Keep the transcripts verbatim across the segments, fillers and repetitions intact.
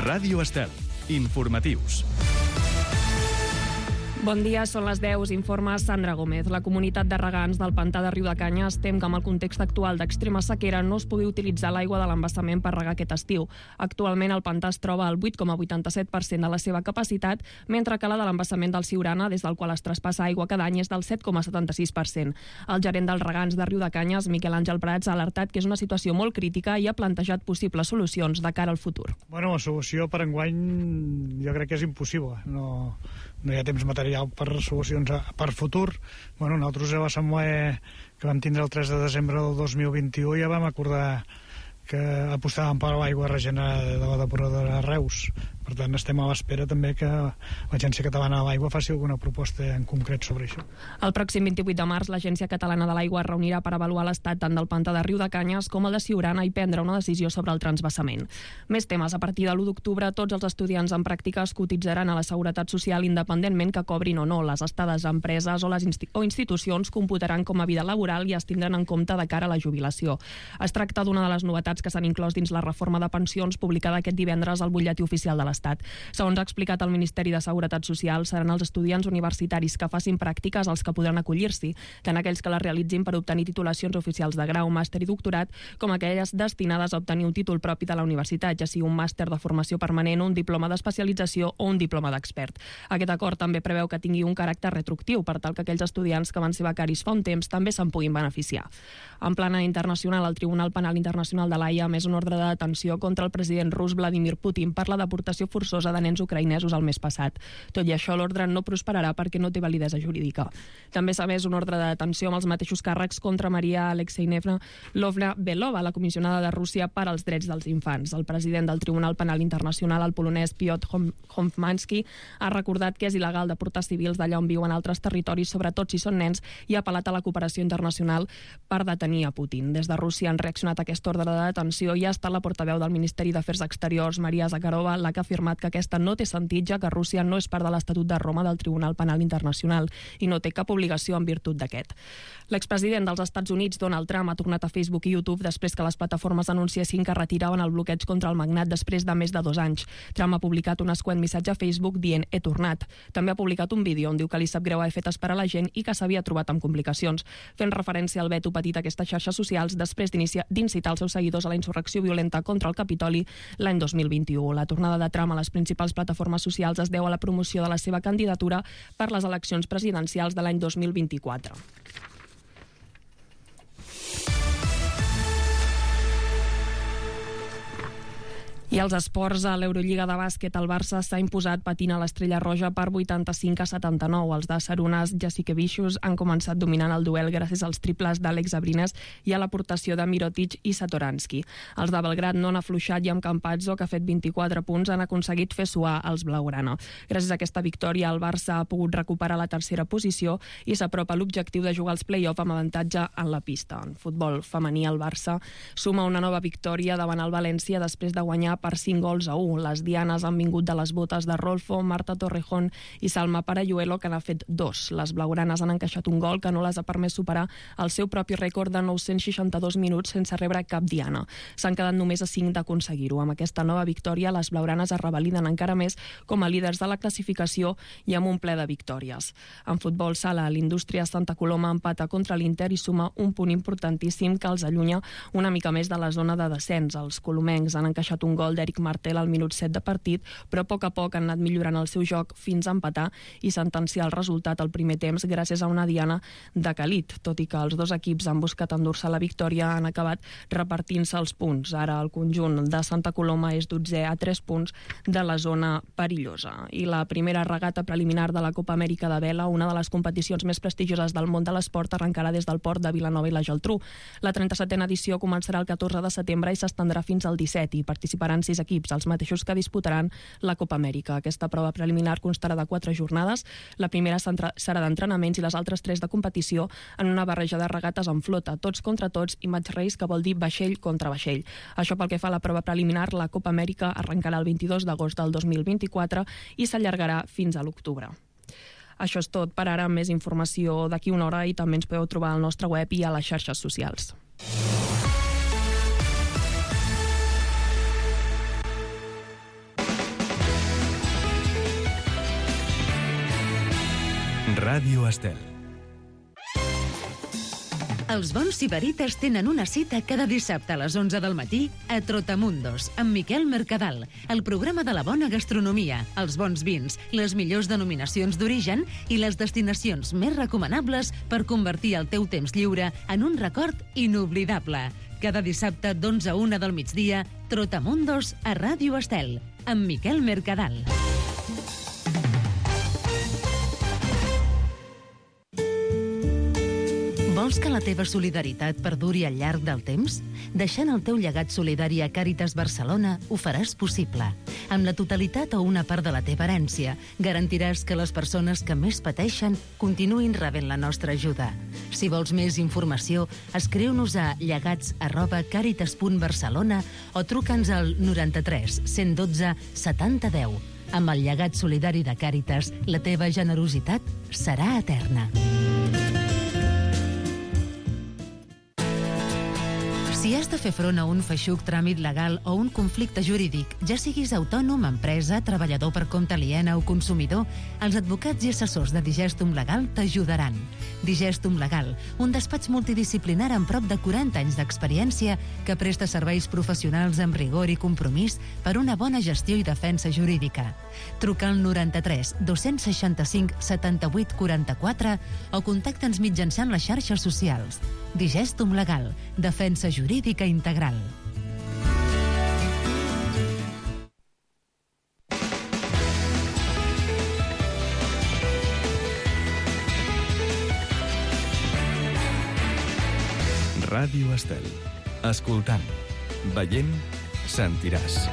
Ràdio Estel. Informatius. Bon dia, són les deu, informa Sandra Gómez. La comunitat de regants del pantà de Riudecanyes tem que amb el context actual d'extrema sequera no es pugui utilitzar l'aigua de l'embassament per regar aquest estiu. Actualment el pantà es troba al vuit coma vuitanta-set per cent de la seva capacitat, mentre que la de l'embassament del Siurana, des del qual es traspassa aigua cada any, és del set coma setanta-sis per cent. El gerent dels regants de Riudecanyes, Miquel Àngel Prats, ha alertat que és una situació molt crítica i ha plantejat possibles solucions de cara al futur. Bueno, la solució per enguany jo crec que és impossible. No, no hi ha temps material per solucions a, per futur. Bueno, nosaltres a l'assemblea que vam tindre el tres de desembre del dos mil vint-i-u ja vam acordar que apostàvem per l'aigua regenerada de la depuradora de Reus. Per tant, estem a l'espera també que l'Agència Catalana de l'Aigua faci alguna proposta en concret sobre això. El pròxim vint-i-vuit de març, l'Agència Catalana de l'Aigua es reunirà per avaluar l'estat tant del pantà de Riudecanyes com el de Siurana i prendre una decisió sobre el transvassament. Més temes. A partir de l'u d'octubre, tots els estudiants en pràctiques cotitzaran a la Seguretat Social independentment que cobrin o no. Les estades a empreses o les insti- o institucions computaran com a vida laboral i es tindran en compte de cara a la jubilació. Es tracta d'una de les novetats que s'han inclòs dins la reforma de pensions publicada aquest divendres al butlletí oficial de l'Estat. Segons ha explicat el Ministeri de Seguretat Social, seran els estudiants universitaris que facin pràctiques els que podran acollir-s'hi, tant aquells que les realitzin per obtenir titulacions oficials de grau, màster i doctorat, com aquelles destinades a obtenir un títol propi de la universitat, ja sigui un màster de formació permanent, un diploma d'especialització o un diploma d'expert. Aquest acord també preveu que tingui un caràcter retroactiu, per tal que aquells estudiants que van ser becaris fa un temps també se'n puguin beneficiar. En plana internacional, el Tribunal Penal Internacional de l'Haia ha emès una ordre de detenció contra el president rus Vladimir Putin per la deportació forçosa de nens ucraïnesos el mes passat. Tot i això, l'ordre no prosperarà perquè no té validesa jurídica. També s'ha emès una ordre de detenció amb els mateixos càrrecs contra Maria Alexeyevna Lovna-Belova, la comissionada de Rússia per als drets dels infants. El president del Tribunal Penal Internacional, el polonès Piotr Hofmanski, ha recordat que és il·legal deportar civils d'allà on viuen altres territoris, sobretot si són nens, i ha apel·lat a la cooperació internacional per detenir a Putin. Des de Rússia han reaccionat a aquesta ordre de detenció i ha estat la portaveu del Ministeri d'Afers Exteriors, Maria Zakharova, la que ha afirmat que aquesta no té sentit, ja que Rússia no és part de l'Estatut de Roma del Tribunal Penal Internacional i no té cap obligació en virtut d'aquest. L'expresident dels Estats Units, Donald Trump, ha tornat a Facebook i YouTube després que les plataformes anunciessin que retiraven el bloqueig contra el magnat després de més de dos anys. Trump ha publicat un escuent missatge a Facebook dient «he tornat». També ha publicat un vídeo on diu que li sap greu haver fet esperar la gent i que s'havia trobat amb complicacions, fent referència al veto patit a aquestes xarxes socials després d'incitar els seus seguidors a la insurrecció violenta contra el Capitoli l'any dos mil vint-i-u. La tornada de Trump a les principals plataformes socials es deu a la promoció de la seva candidatura per les eleccions presidencials de l'any dos mil vint-i-quatre. I als esports, a l'Eurolliga de bàsquet, el Barça s'ha imposat patint a l'Estrella Roja per vuitanta-cinc a setanta-nou. Els de Sarunas Jasikevičius han començat dominant el duel gràcies als triples d'Àlex Abrines i a l'aportació de Mirotic i Satoransky. Els de Belgrad no han afluixat i amb Campazzo, que ha fet vint-i-quatre punts, han aconseguit fer suar els blaugrana. Gràcies a aquesta victòria, el Barça ha pogut recuperar la tercera posició i s'apropa a l'objectiu de jugar als play-off amb avantatge en la pista. En futbol femení, el Barça suma una nova victòria davant el València després de guanyar per cinc gols a u. Les dianes han vingut de les botes de Rolfo, Marta Torrejón i Salma Parayuelo, que n'ha fet dos. Les blaugranes han encaixat un gol que no les ha permès superar el seu propi rècord de nou-cents seixanta-dos minuts sense rebre cap diana. S'han quedat només a cinc d'aconseguir-ho. Amb aquesta nova victòria, les blaugranes es revaliden encara més com a líders de la classificació i amb un ple de victòries. En futbol sala, l'Indústria Santa Coloma empata contra l'Inter i suma un punt importantíssim que els allunya una mica més de la zona de descens. Els colomencs han encaixat un gol d'Eric Martel al minut set de partit, però a poc a poc han anat millorant el seu joc fins a empatar i sentenciar el resultat al primer temps gràcies a una diana de Calit. Tot i que els dos equips han buscat endur-se la victòria, han acabat repartint-se els punts. Ara el conjunt de Santa Coloma és dotzè a tres punts de la zona perillosa. I la primera regata preliminar de la Copa Amèrica de Vela, una de les competicions més prestigioses del món de l'esport, arrencarà des del port de Vilanova i la Geltrú. La trenta-setena edició començarà el catorze de setembre i s'estendrà fins al disset i participaran sis equips, els mateixos que disputaran la Copa Amèrica. Aquesta prova preliminar constarà de quatre jornades. La primera serà d'entrenaments i les altres tres de competició en una barreja de regates en flota, tots contra tots i match race, que vol dir vaixell contra vaixell. Això pel que fa a la prova preliminar, la Copa Amèrica arrencarà el vint-i-dos d'agost del dos mil vint-i-quatre i s'allargarà fins a l'octubre. Això és tot per ara. Més informació d'aquí una hora i també ens podeu trobar al nostre web i a les xarxes socials. Ràdio Estel. Els bons sibarites tenen una cita cada dissabte a les onze del matí a Trotamundos, amb Miquel Mercadal, el programa de la bona gastronomia, els bons vins, les millors denominacions d'origen i les destinacions més recomanables per convertir el teu temps lliure en un record inoblidable. Cada dissabte d'onze a una del migdia, Trotamundos a Ràdio Estel, amb Miquel Mercadal. Vols que la teva solidaritat perduri al llarg del temps? Deixant el teu llegat solidari a Càritas Barcelona ho faràs possible. Amb la totalitat o una part de la teva herència, garantiràs que les persones que més pateixen continuïn rebent la nostra ajuda. Si vols més informació, escriu-nos a llegats arroba càritas punt barcelona o truca'ns al noranta-tres cent dotze setanta deu. Amb el llegat solidari de Càritas, la teva generositat serà eterna. Si has de fer front a un feixuc tràmit legal o un conflicte jurídic, ja siguis autònom, empresa, treballador per compte aliena o consumidor, els advocats i assessors de Digestum Legal t'ajudaran. Digestum Legal, un despatx multidisciplinar amb prop de quaranta anys d'experiència que presta serveis professionals amb rigor i compromís per una bona gestió i defensa jurídica. Truca al noranta-tres dos-cents seixanta-cinc setanta-vuit quaranta-quatre o contacta'ns mitjançant les xarxes socials. Digestum Legal, defensa jurídica integral. Ràdio Estel. Escoltant, veient, sentiràs.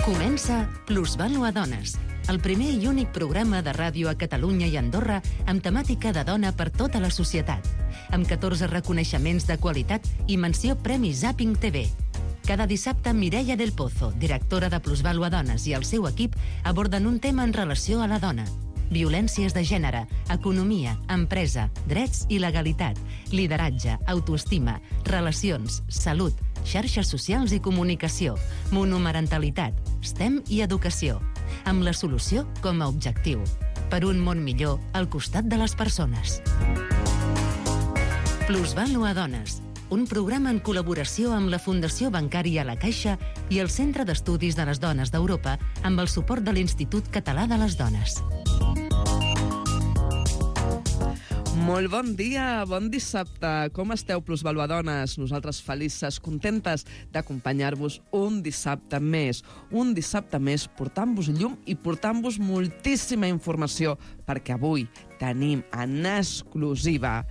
Comença Plusvàlua Dones, el primer i únic programa de ràdio a Catalunya i Andorra amb temàtica de dona per tota la societat, amb catorze reconeixements de qualitat i menció Premi Zapping T V. Cada dissabte, Mireia del Pozo, directora de Plusvàlua Dones, i el seu equip aborden un tema en relació a la dona. Violències de gènere, economia, empresa, drets i legalitat, lideratge, autoestima, relacions, salut, xarxes socials i comunicació, monomarentalitat, STEM i educació, amb la solució com a objectiu. Per un món millor al costat de les persones. Plusvàlua Dones, un programa en col·laboració amb la Fundació Bancària La Caixa i el Centre d'Estudis de les Dones d'Europa amb el suport de l'Institut Català de les Dones. Molt bon dia, bon dissabte. Com esteu, Plusvàlua Dones? Nosaltres felices, contentes d'acompanyar-vos un dissabte més. Un dissabte més portant-vos llum i portant-vos moltíssima informació, perquè avui tenim en exclusiva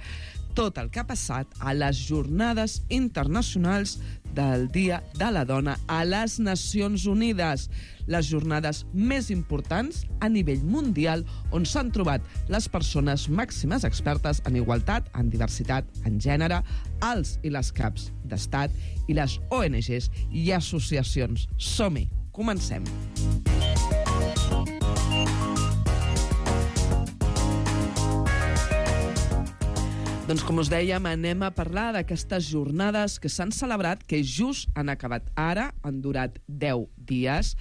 tot el que ha passat a les Jornades Internacionals del Dia de la Dona a les Nacions Unides, les jornades més importants a nivell mundial on s'han trobat les persones màximes expertes en igualtat, en diversitat, en gènere, els i les caps d'estat i les O N Ges i associacions. Som-hi, comencem. Doncs com us dèiem, anem a parlar d'aquestes jornades que s'han celebrat, que just han acabat ara, han durat deu dies,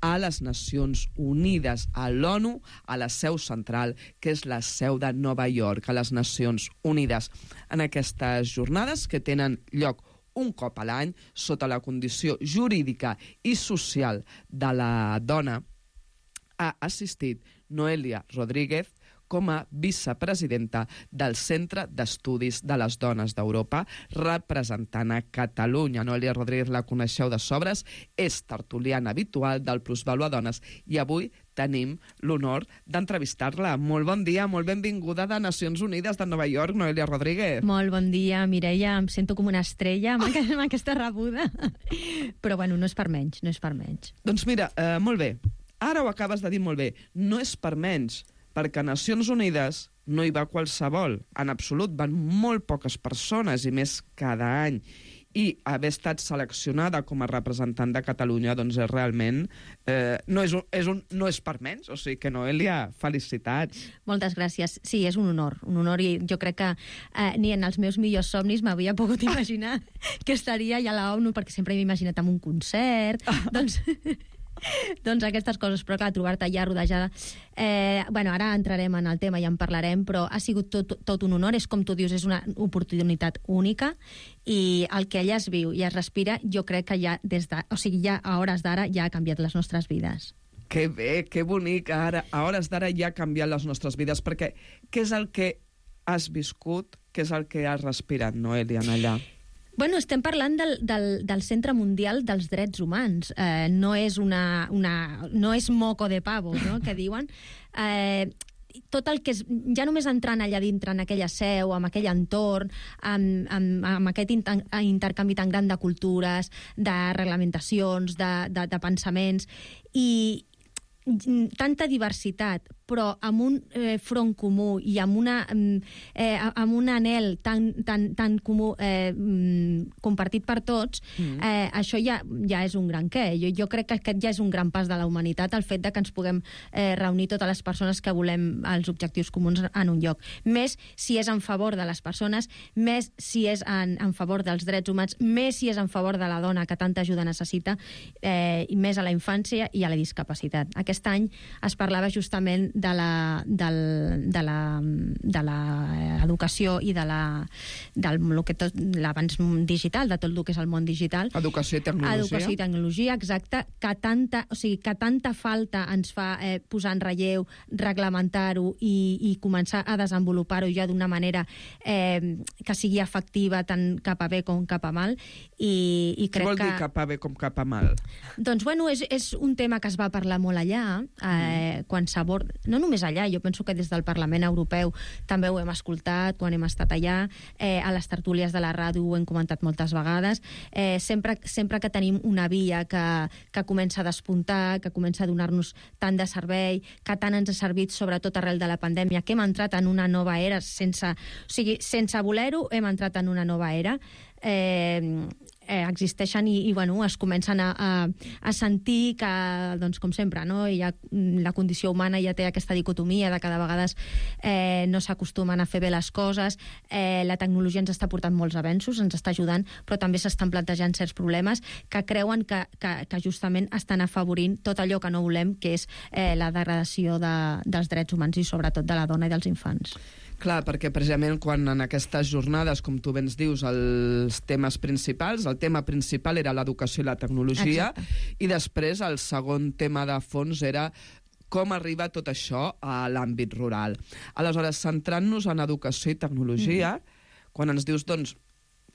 a les Nacions Unides, a l'ONU, a la seu central, que és la seu de Nova York, a les Nacions Unides. En aquestes jornades, que tenen lloc un cop a l'any, sota la condició jurídica i social de la dona, ha assistit Noelia Rodríguez, com a vicepresidenta del Centre d'Estudis de les Dones d'Europa, representant a Catalunya. Noelia Rodríguez la coneixeu de sobres, és tertuliana habitual del Plusvàlua Dones i avui tenim l'honor d'entrevistar-la. Molt bon dia, molt benvinguda de Nacions Unides de Nova York, Noelia Rodríguez. Molt bon dia, Mireia. Em sento com una estrella amb, oh! amb aquesta rebuda. Però bueno, no és per menys, no és per menys. Doncs mira, eh, molt bé. Ara ho acabes de dir molt bé. No és per menys, perquè a Nacions Unides no hi va qualsevol. En absolut, van molt poques persones, i més cada any. i haver estat seleccionada com a representant de Catalunya, doncs és realment... Eh, no, és un, és un, no és per menys, o sigui que Noelia, felicitats. Moltes gràcies. Sí, és un honor, un honor, i jo crec que eh, ni en els meus millors somnis m'havia pogut imaginar que estaria ja a la ONU, perquè sempre m'he imaginat en un concert, doncs... doncs aquestes coses, però clar, trobar-te allà rodejada... Eh, bueno, ara entrarem en el tema i en parlarem, però ha sigut tot, tot un honor, és com tu dius, és una oportunitat única, i el que allà es viu i es respira, jo crec que ja des de... O sigui, ja a hores d'ara ja ha canviat les nostres vides. Que bé, que bonic, ara, a hores d'ara ja ha canviat les nostres vides, perquè què és el que has viscut, què és el que has respirat, Noelia, allà? Bueno, estem parlant del, del, del Centre Mundial dels Drets Humans. Eh, no és una, una, no és moco de pavo, no?, que diuen. Eh, tot el que és, ja només entrant allà dintre, en aquella seu, amb aquell entorn, amb, amb, amb aquest inter, intercanvi tan gran de cultures, de reglamentacions, de, de, de pensaments, i tanta diversitat, però amb un eh, front comú i amb, una, eh, amb un anhel tan, tan, tan comú eh, compartit per tots, mm. eh, això ja, ja és un gran què. Jo, jo crec que aquest ja és un gran pas de la humanitat, el fet de que ens puguem eh, reunir totes les persones que volem els objectius comuns en un lloc. Més si és en favor de les persones, més si és en, en favor dels drets humans, més si és en favor de la dona que tanta ajuda necessita, eh, i més a la infància i a la discapacitat. Aquest any es parlava justament de la, del, de la, de la educació i de la, del lo que tot, l'avanç digital, de tot el que és el món digital. Educació i tecnologia. Educació i tecnologia, exacte, que tanta, o sigui, que tanta falta ens fa eh, posar en relleu, reglamentar-ho i, i començar a desenvolupar-ho ja d'una manera eh, que sigui efectiva tant cap a bé com cap a mal. I, i crec Què vol que... dir cap a bé com cap a mal? Doncs, bueno, és, és un tema que es va parlar molt allà, eh, mm. quan s'aborda... No només allà, jo penso que des del Parlament Europeu també ho hem escoltat quan hem estat allà, eh, a les tertúlies de la ràdio ho hem comentat moltes vegades, eh, sempre, sempre que tenim una via que, que comença a despuntar, que comença a donar-nos tant de servei, que tant ens ha servit, sobretot arrel de la pandèmia, que hem entrat en una nova era, sense, o sigui, sense voler-ho, hem entrat en una nova era, eh, eh, existeixen i, i bueno, es comencen a, a, a sentir que, doncs, com sempre, no? Hi ha, la condició humana ja té aquesta dicotomia de que de vegades eh, no s'acostumen a fer bé les coses, eh, la tecnologia ens està portant molts avenços, ens està ajudant, però també s'estan plantejant certs problemes que creuen que, que, que justament estan afavorint tot allò que no volem, que és eh, la degradació de, dels drets humans i sobretot de la dona i dels infants. Clar, perquè precisament quan en aquestes jornades, com tu ben dius, els temes principals, el tema principal era l'educació i la tecnologia, exacte, i després el segon tema de fons era com arriba tot això a l'àmbit rural. Aleshores, centrant-nos en educació i tecnologia, mm. quan ens dius, doncs,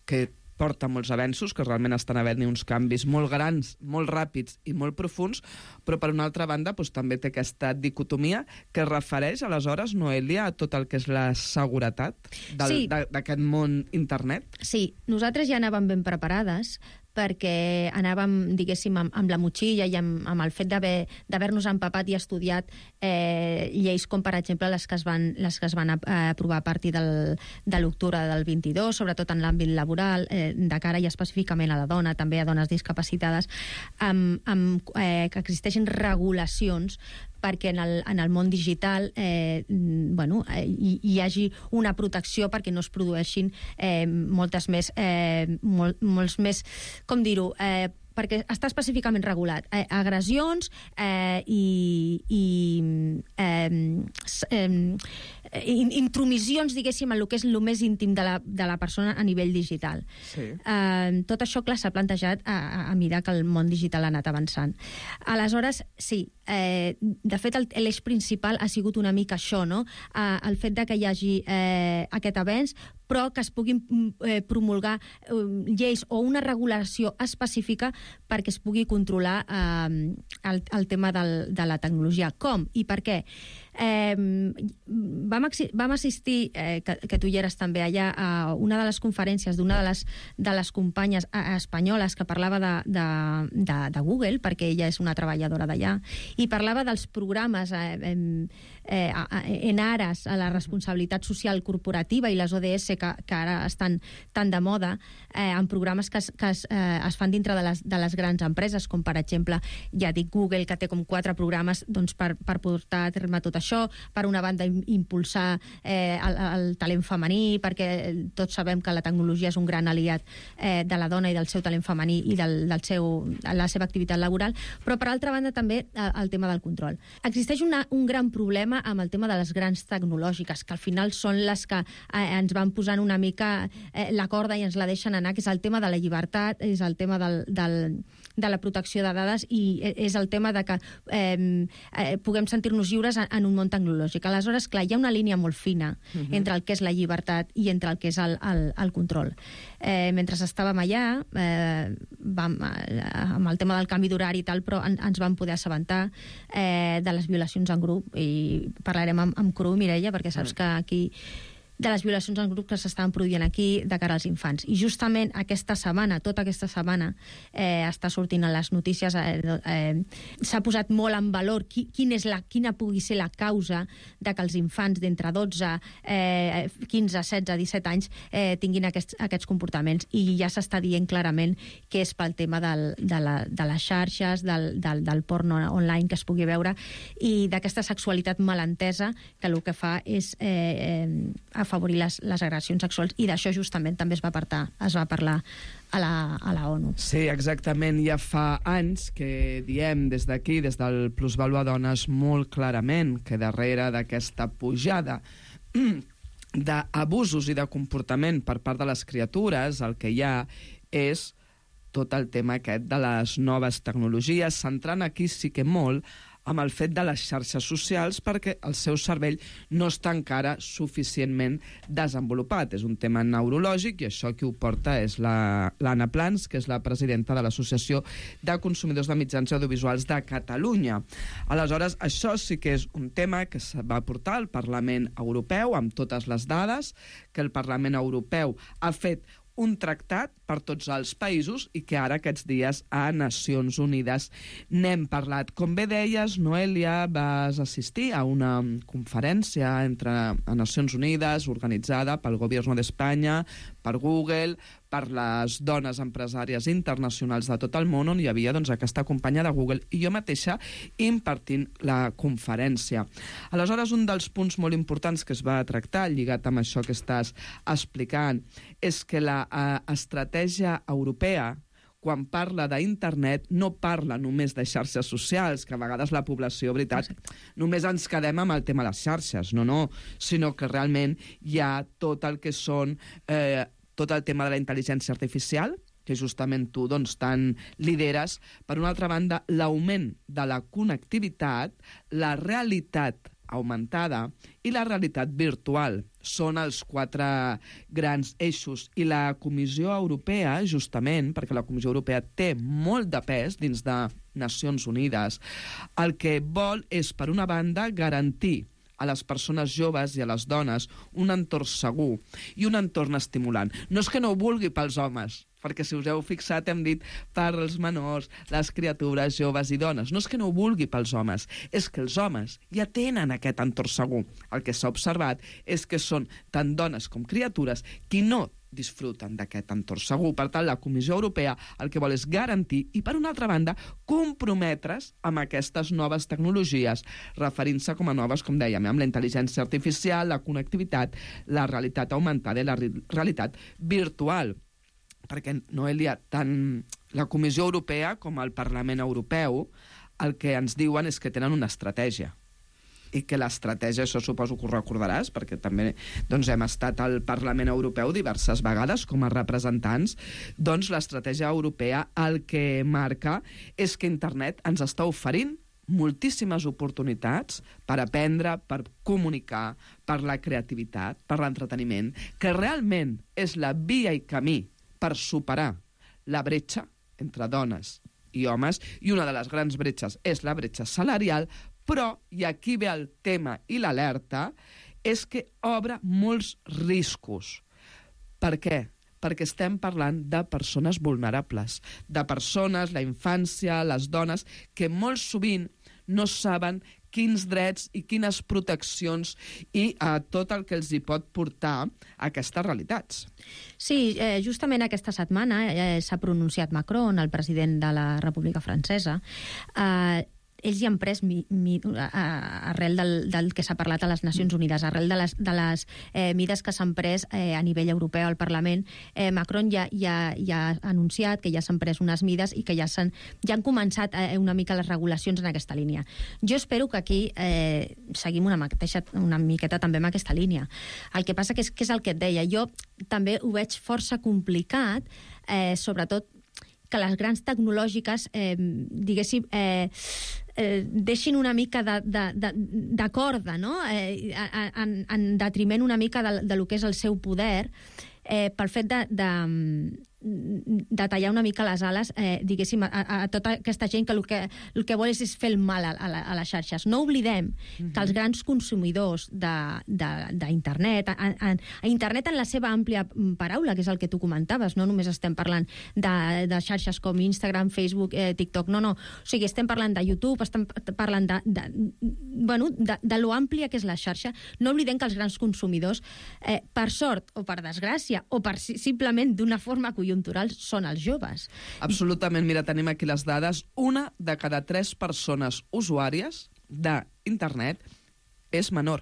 que porta molts avenços, que realment estan havent-hi uns canvis molt grans, molt ràpids i molt profuns, però per una altra banda doncs, també té aquesta dicotomia que es refereix, aleshores, Noelia, a tot el que és la seguretat del, sí. d'aquest món internet? Sí, nosaltres ja anàvem ben preparades, perquè anàvem, diguéssim, amb, amb la motxilla i amb, amb el fet d'haver-nos empapat i estudiat eh, lleis com, per exemple, les que es van, les que es van aprovar a partir del, de l'octubre del vint-i-dos, sobretot en l'àmbit laboral, eh, de cara i específicament a la dona, també a dones discapacitades, amb, amb, eh, que existeixin regulacions perquè en el, en el món digital eh, bueno, eh, hi, hi hagi una protecció perquè no es produeixin eh, moltes més, eh, mol, molts més, com dir-ho, eh, perquè està específicament regulat. Eh, agressions eh, i, i eh, eh, intromissions, diguéssim, en el que és el més íntim de la, de la persona a nivell digital. Sí. Eh, tot això, clar, s'ha plantejat a, a, a mesura que el món digital ha anat avançant. Aleshores, sí, eh, de fet, l'eix principal ha sigut una mica això, no? Eh, el fet de que hi hagi eh, aquest avenç, però que es puguin eh, promulgar eh, lleis o una regulació específica perquè es pugui controlar eh, el, el tema del, de la tecnologia. Com i per què? Eh, vam, vam assistir, eh, que, que tu hi eres també allà, a una de les conferències d'una de les, de les companyes espanyoles que parlava de, de, de, de Google, perquè ella és una treballadora d'allà, i parlava dels programes eh, eh, en ares a la responsabilitat social corporativa i les O D S que, que ara estan tan de moda, eh, en programes que, es, que es, eh, es fan dintre de les, de les grans empreses, com per exemple, ja dic, Google, que té com quatre programes doncs, per, per portar a terme tot això, per una banda impulsar eh, el, el talent femení, perquè tots sabem que la tecnologia és un gran aliat eh, de la dona i del seu talent femení i del, del seu, de la seva activitat laboral, però per altra banda també eh, el tema del control. Existeix una, un gran problema amb el tema de les grans tecnològiques, que al final són les que eh, ens van posant una mica eh, la corda i ens la deixen anar, que és el tema de la llibertat, és el tema del, del, de la protecció de dades i és el tema de que eh, eh, puguem sentir-nos lliures en, en un món tecnològic. Aleshores, clar, hi ha una línia molt fina uh-huh. entre el que és la llibertat i entre el que és el, el, el control. Eh, mentre estàvem allà, eh, vam, eh, amb el tema del canvi d'horari i tal, però en, ens vam poder assabentar eh, de les violacions en grup, i parlarem amb, amb cru, Mireia, perquè saps que aquí de les violacions en grup que s'estaven produint aquí de cara als infants. I justament aquesta setmana, tota aquesta setmana, eh, està sortint a les notícies, eh, eh, s'ha posat molt en valor qui, quin és la, quina pugui ser la causa de que els infants d'entre dotze, eh, quinze, setze, disset anys eh, tinguin aquests, aquests comportaments. I ja s'està dient clarament que és pel tema del, de, la, de les xarxes, del, del, del porno online que es pugui veure, i d'aquesta sexualitat malentesa que el que fa és eh, eh, afavorir les, les agressions sexuals, i d'això justament també es va, apartar, es va parlar a la, a la ONU. Sí, exactament. Ja fa anys que diem des d'aquí, des del Plusvàlua Dones, molt clarament que darrere d'aquesta pujada d'abusos i de comportament per part de les criatures, el que hi ha és tot el tema aquest de les noves tecnologies, centrant aquí sí que molt amb el fet de les xarxes socials, perquè el seu cervell no està encara suficientment desenvolupat. És un tema neurològic, i això qui ho porta és l'Anna Plans, que és la presidenta de l'Associació de Consumidors de Mitjans Audiovisuals de Catalunya. Aleshores, això sí que és un tema que es va portar al Parlament Europeu, amb totes les dades, que el Parlament Europeu ha fet un tractat per tots els països i que ara aquests dies a Nacions Unides n'hem parlat. Com bé deies, Noelia, vas assistir a una conferència entre a Nacions Unides organitzada pel Gobierno d'Espanya, per Google, per les dones empresàries internacionals de tot el món, on hi havia doncs, aquesta companya de Google i jo mateixa impartint la conferència. Aleshores, un dels punts molt importants que es va tractar, lligat amb això que estàs explicant, és que la eh, estratègia europea, quan parla d'internet, no parla només de xarxes socials, que a vegades la població, veritat, Exacte. només ens quedem amb el tema de les xarxes, no, no, sinó que realment hi ha tot el que són, eh, tot el tema de la intel·ligència artificial, que justament tu doncs, tant lideres. Per una altra banda, l'augment de la connectivitat, la realitat augmentada i la realitat virtual són els quatre grans eixos. I la Comissió Europea, justament, perquè la Comissió Europea té molt de pes dins de Nacions Unides, el que vol és, per una banda, garantir a les persones joves i a les dones un entorn segur i un entorn estimulant. No és que no ho vulgui pels homes, perquè si us heu fixat hem dit per als menors, les criatures, joves i dones. No és que no ho vulgui pels homes, és que els homes ja tenen aquest entorn segur. El que s'ha observat és que són tant dones com criatures qui no disfruten d'aquest entorn segur. Per tant, la Comissió Europea el que vol és garantir i, per una altra banda, comprometre's amb aquestes noves tecnologies, referint-se com a noves, com dèiem, amb la intel·ligència artificial, la connectivitat, la realitat augmentada i la realitat virtual. Perquè, Noelia, tant la Comissió Europea com el Parlament Europeu el que ens diuen és que tenen una estratègia. I que l'estratègia, això suposo que ho recordaràs, perquè també doncs, hem estat al Parlament Europeu diverses vegades com a representants, doncs l'estratègia europea el que marca és que internet ens està oferint moltíssimes oportunitats per aprendre, per comunicar, per la creativitat, per l'entreteniment, que realment és la via i camí per superar la bretxa entre dones i homes, i una de les grans bretxes és la bretxa salarial, però, i aquí ve el tema i l'alerta, és que obre molts riscos. Per què? Perquè estem parlant de persones vulnerables, de persones, la infància, les dones, que molt sovint no saben quins drets i quines proteccions i eh, tot el que els hi pot portar a aquestes realitats. Sí, eh, justament aquesta setmana eh, s'ha pronunciat Macron, el president de la República Francesa. Eh, ells hi han pres mi, mi, a, arrel del, del que s'ha parlat a les Nacions Unides, arrel de les, de les eh, mides que s'han pres eh, a nivell europeu al Parlament. Eh, Macron ja, ja, ja ha anunciat que ja s'han pres unes mides i que ja, s'han, ja han començat eh, una mica les regulacions en aquesta línia. Jo espero que aquí eh, seguim una, mateixa, una miqueta també amb aquesta línia. El que passa que és, que és el que et deia. Jo també ho veig força complicat, eh, sobretot que les grans tecnològiques, eh, diguéssim, eh, eh, deixin una mica de, de, de, de corda, no? Eh, en, en detriment una mica de, de lo que és el seu poder, eh, pel fet de, de, de tallar una mica les ales, eh, diguéssim, a, a tota aquesta gent que el, que el que vol és, és fer el mal a, a, la, a les xarxes. No oblidem mm-hmm. que els grans consumidors d'internet, a, a, a internet en la seva àmplia paraula, que és el que tu comentaves, no només estem parlant de, de xarxes com Instagram, Facebook, eh, TikTok, no, no. O sigui, estem parlant de YouTube, estem parlant de, de, bueno, de, de lo àmplia que és la xarxa. No oblidem que els grans consumidors, eh, per sort o per desgràcia, o per simplement d'una forma conjuntural, són els joves. Absolutament. Mira, tenim aquí les dades. Una de cada tres persones usuàries d'internet és menor.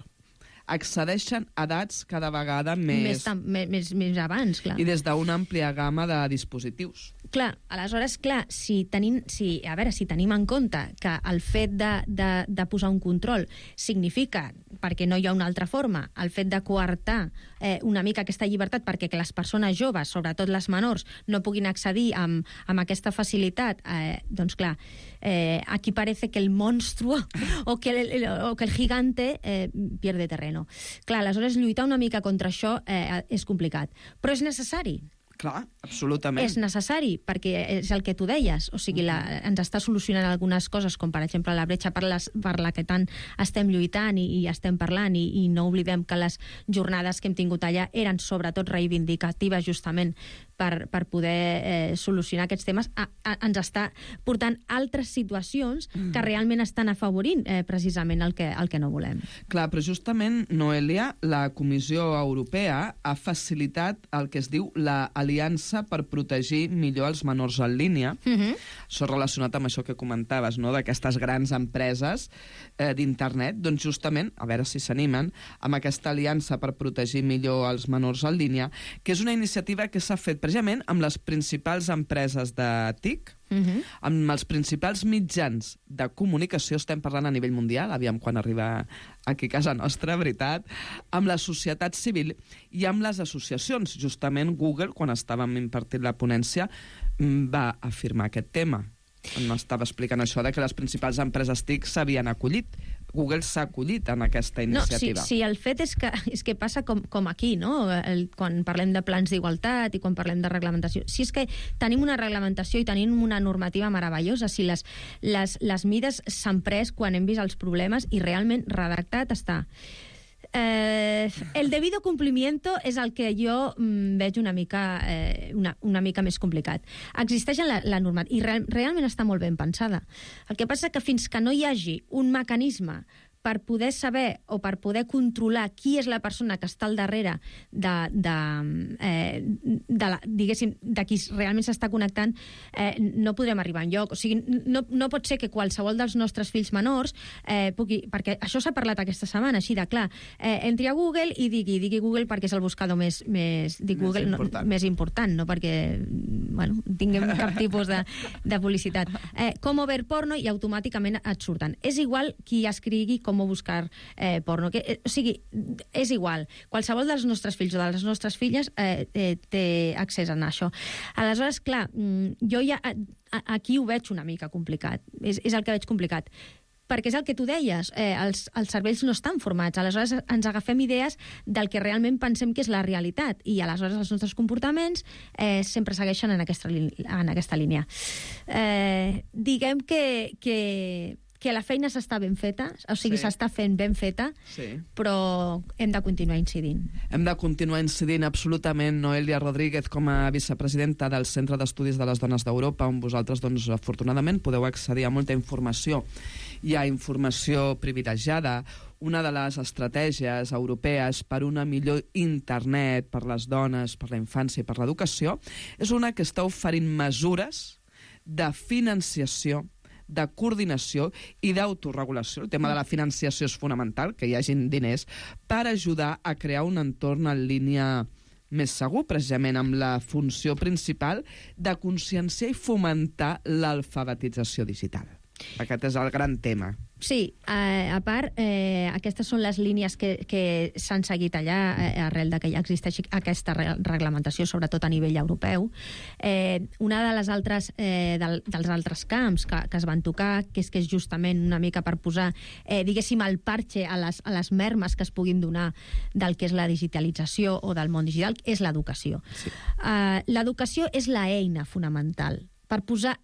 Accedeixen a edats cada vegada més... Més, tam, més, més abans, clar. I des d'una àmplia gamma de dispositius. Clar, aleshores, clar, si tenim, si, a veure, si tenim en compte que el fet de, de, de posar un control significa, perquè no hi ha una altra forma, el fet de coartar eh, una mica aquesta llibertat perquè que les persones joves, sobretot les menors, no puguin accedir amb, amb aquesta facilitat, eh, doncs clar, eh, aquí parece que el monstruo o que el, o que el gigante eh, pierde terreno. Clar, aleshores lluitar una mica contra això eh, és complicat, però és necessari. Clar, absolutament. És necessari, perquè és el que tu deies. O sigui, la, ens està solucionant algunes coses, com per exemple la bretxa per, les, per la que tant estem lluitant i, i estem parlant, i, i no oblidem que les jornades que hem tingut allà eren sobretot reivindicatives justament per, per poder eh, solucionar aquests temes. A, a, ens està portant altres situacions que realment estan afavorint eh, precisament el que, el que no volem. Clar, però justament, Noelia, la Comissió Europea ha facilitat el que es diu la Aliança per protegir millor els menors en línia. Uh-huh. Això relacionat amb això que comentaves, no?, d'aquestes grans empreses eh, d'internet, doncs justament, a veure si s'animen, amb aquesta aliança per protegir millor els menors en línia, que és una iniciativa que s'ha fet precisament amb les principals empreses de T I C, Uh-huh. amb els principals mitjans de comunicació, estem parlant a nivell mundial, aviam quan arriba aquí a casa nostra, veritat, amb la societat civil i amb les associacions. Justament Google, quan estàvem impartint la ponència, va afirmar aquest tema. M'estava explicant això de que les principals empreses T I C s'havien acollit. Google s'ha acollit en aquesta iniciativa. No, sí, sí, el fet és que, és que passa com, com aquí, no? El, quan parlem de plans d'igualtat i quan parlem de reglamentació. Si és que tenim una reglamentació i tenim una normativa meravellosa, si les, les, les mides s'han pres quan hem vist els problemes i realment redactat està. Eh, el debido cumplimiento és el que jo mm, veig una mica, eh, una, una mica més complicat. Existeix la, la normativa i real, realment està molt ben pensada. El que passa que fins que no hi hagi un mecanisme per poder saber o per poder controlar qui és la persona que està al darrere de, de, eh, de, la, diguéssim, de qui realment s'està connectant, eh, no podrem arribar enlloc. O sigui, no, no pot ser que qualsevol dels nostres fills menors eh, pugui... Perquè això s'ha parlat aquesta setmana, així de clar. Eh, entri a Google i digui, digui Google perquè és el buscador més, més, dic més, Google, important. No, més important, no perquè bueno, tinguem cap tipus de, de publicitat. Eh, com ver porno i automàticament et surten. És igual qui escrigui com buscar eh, porno. Que, eh, o sigui, és igual. Qualsevol dels nostres fills o de les nostres filles eh, eh, té accés a això. Aleshores, clar, jo ja a, a, aquí ho veig una mica complicat. És, és el que veig complicat. Perquè és el que tu deies, eh, els, els cervells no estan formats, aleshores ens agafem idees del que realment pensem que és la realitat, i aleshores els nostres comportaments eh, sempre segueixen en aquesta, en aquesta línia. Eh, diguem que, que, que la feina s'està ben feta, o sigui, Sí. s'està fent ben feta, Sí. però hem de continuar incidint. Hem de continuar incidint absolutament. Noelia Rodríguez, com a vicepresidenta del Centre d'Estudis de les Dones d'Europa, on vosaltres, doncs, afortunadament, podeu accedir a molta informació. Hi ha informació privilegiada. Una de les estratègies europees per una millor internet per les dones, per la infància i per l'educació és una que està oferint mesures de financiació, de coordinació i d'autoregulació. El tema de la financiació és fonamental, que hi hagin diners, per ajudar a crear un entorn en línia més segur, precisament amb la funció principal de conscienciar i fomentar l'alfabetització digital. Aquest és el gran tema. Sí, eh, a part, eh, aquestes són les línies que, que s'han seguit allà eh, arrel de que ja existeix aquesta re reglamentació, sobretot a nivell europeu. Eh, una de les altres, eh, del, dels altres camps que, que es van tocar, que és que és justament una mica per posar, eh, diguéssim, el parche a les, a les mermes que es puguin donar del que és la digitalització o del món digital, és l'educació. Sí. Eh, l'educació és l'eina fonamental per posar...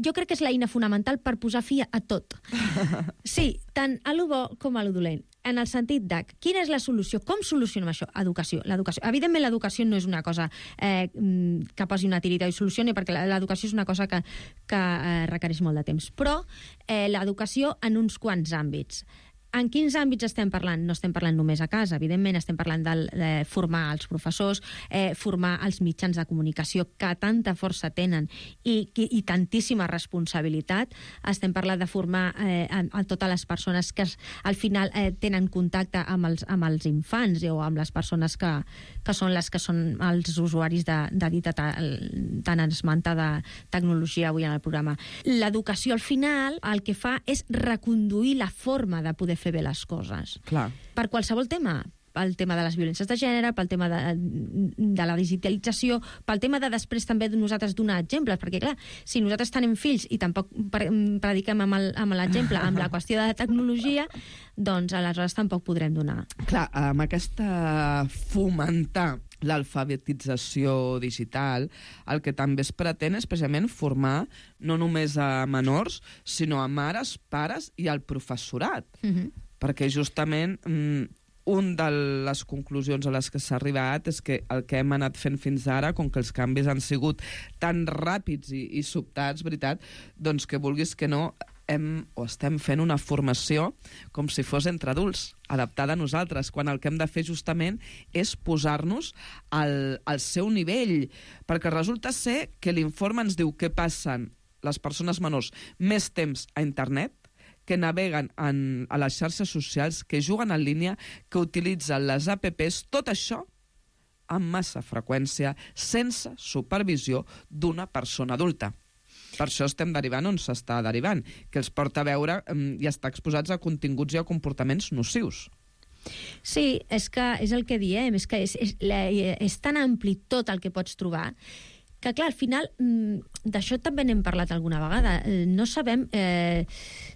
Jo crec que és l'eina fonamental per posar fi a tot. Sí, tant a lo bo com a lo dolent. En el sentit de quina és la solució, com solucionem això? Educació. L'educació. Evidentment, l'educació no és una cosa eh, que posi una tirita i solucioni, perquè l'educació és una cosa que, que eh, requereix molt de temps. Però eh, l'educació en uns quants àmbits. En quins àmbits estem parlant? No estem parlant només a casa, evidentment, estem parlant de, de formar els professors, eh, formar els mitjans de comunicació que tanta força tenen i, i, i tantíssima responsabilitat. Estem parlant de formar eh, a, a totes les persones que es, al final eh, tenen contacte amb els, amb els infants eh, o amb les persones que, que són les que són els usuaris de, de dita tan esmentada tecnologia avui en el programa. L'educació, al final, el que fa és reconduir la forma de poder fer bé les coses. Clar. Per qualsevol tema, pel tema de les violències de gènere, pel tema de, de la digitalització, pel tema de després també de nosaltres donar exemples, perquè clar, si nosaltres tenim fills i tampoc prediquem amb l'exemple, amb la qüestió de la tecnologia, doncs aleshores tampoc podrem donar. Clar, amb aquesta fomentar l'alfabetització digital, el que també es pretén és precisament formar no només a menors, sinó a mares, pares i al professorat. Uh-huh. Perquè justament mm, un de les conclusions a les que s'ha arribat és que el que hem anat fent fins ara, com que els canvis han sigut tan ràpids i, i sobtats, veritat, doncs que vulguis que no, hem, o estem fent una formació com si fos entre adults, adaptada a nosaltres, quan el que hem de fer justament és posar-nos al, al seu nivell, perquè resulta ser que l'informe ens diu que passen les persones menors més temps a internet, que naveguen en, a les xarxes socials, que juguen en línia, que utilitzen les apps, tot això amb massa freqüència, sense supervisió d'una persona adulta. Per això estem derivant on s'està derivant, que els porta a veure um, i estar exposats a continguts i a comportaments nocius. Sí, és que és el que diem, és que és, és, és tan ampli tot el que pots trobar que, clar, al final, d'això també n'hem parlat alguna vegada. No sabem eh,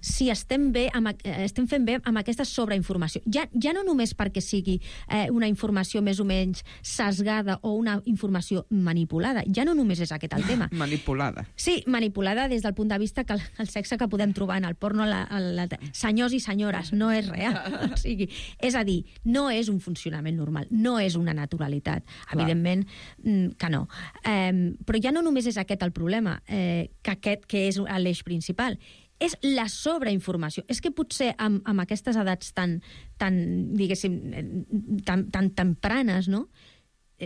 si estem bé amb, estem fent bé amb aquesta sobreinformació. Ja, ja no només perquè sigui eh, una informació més o menys sesgada o una informació manipulada. Ja no només és aquest el tema. Manipulada. Sí, manipulada des del punt de vista que el, el sexe que podem trobar en el porno, la, la, la, senyors i senyores, no és real. O sigui, és a dir, no és un funcionament normal, no és una naturalitat. Clar. Evidentment que no. Eh, però ja no només és aquest el problema, eh, que aquest que és l'eix principal, és la sobreinformació. És que potser amb, amb aquestes edats tan, tan diguéssim, tan, tan tempranes, no?,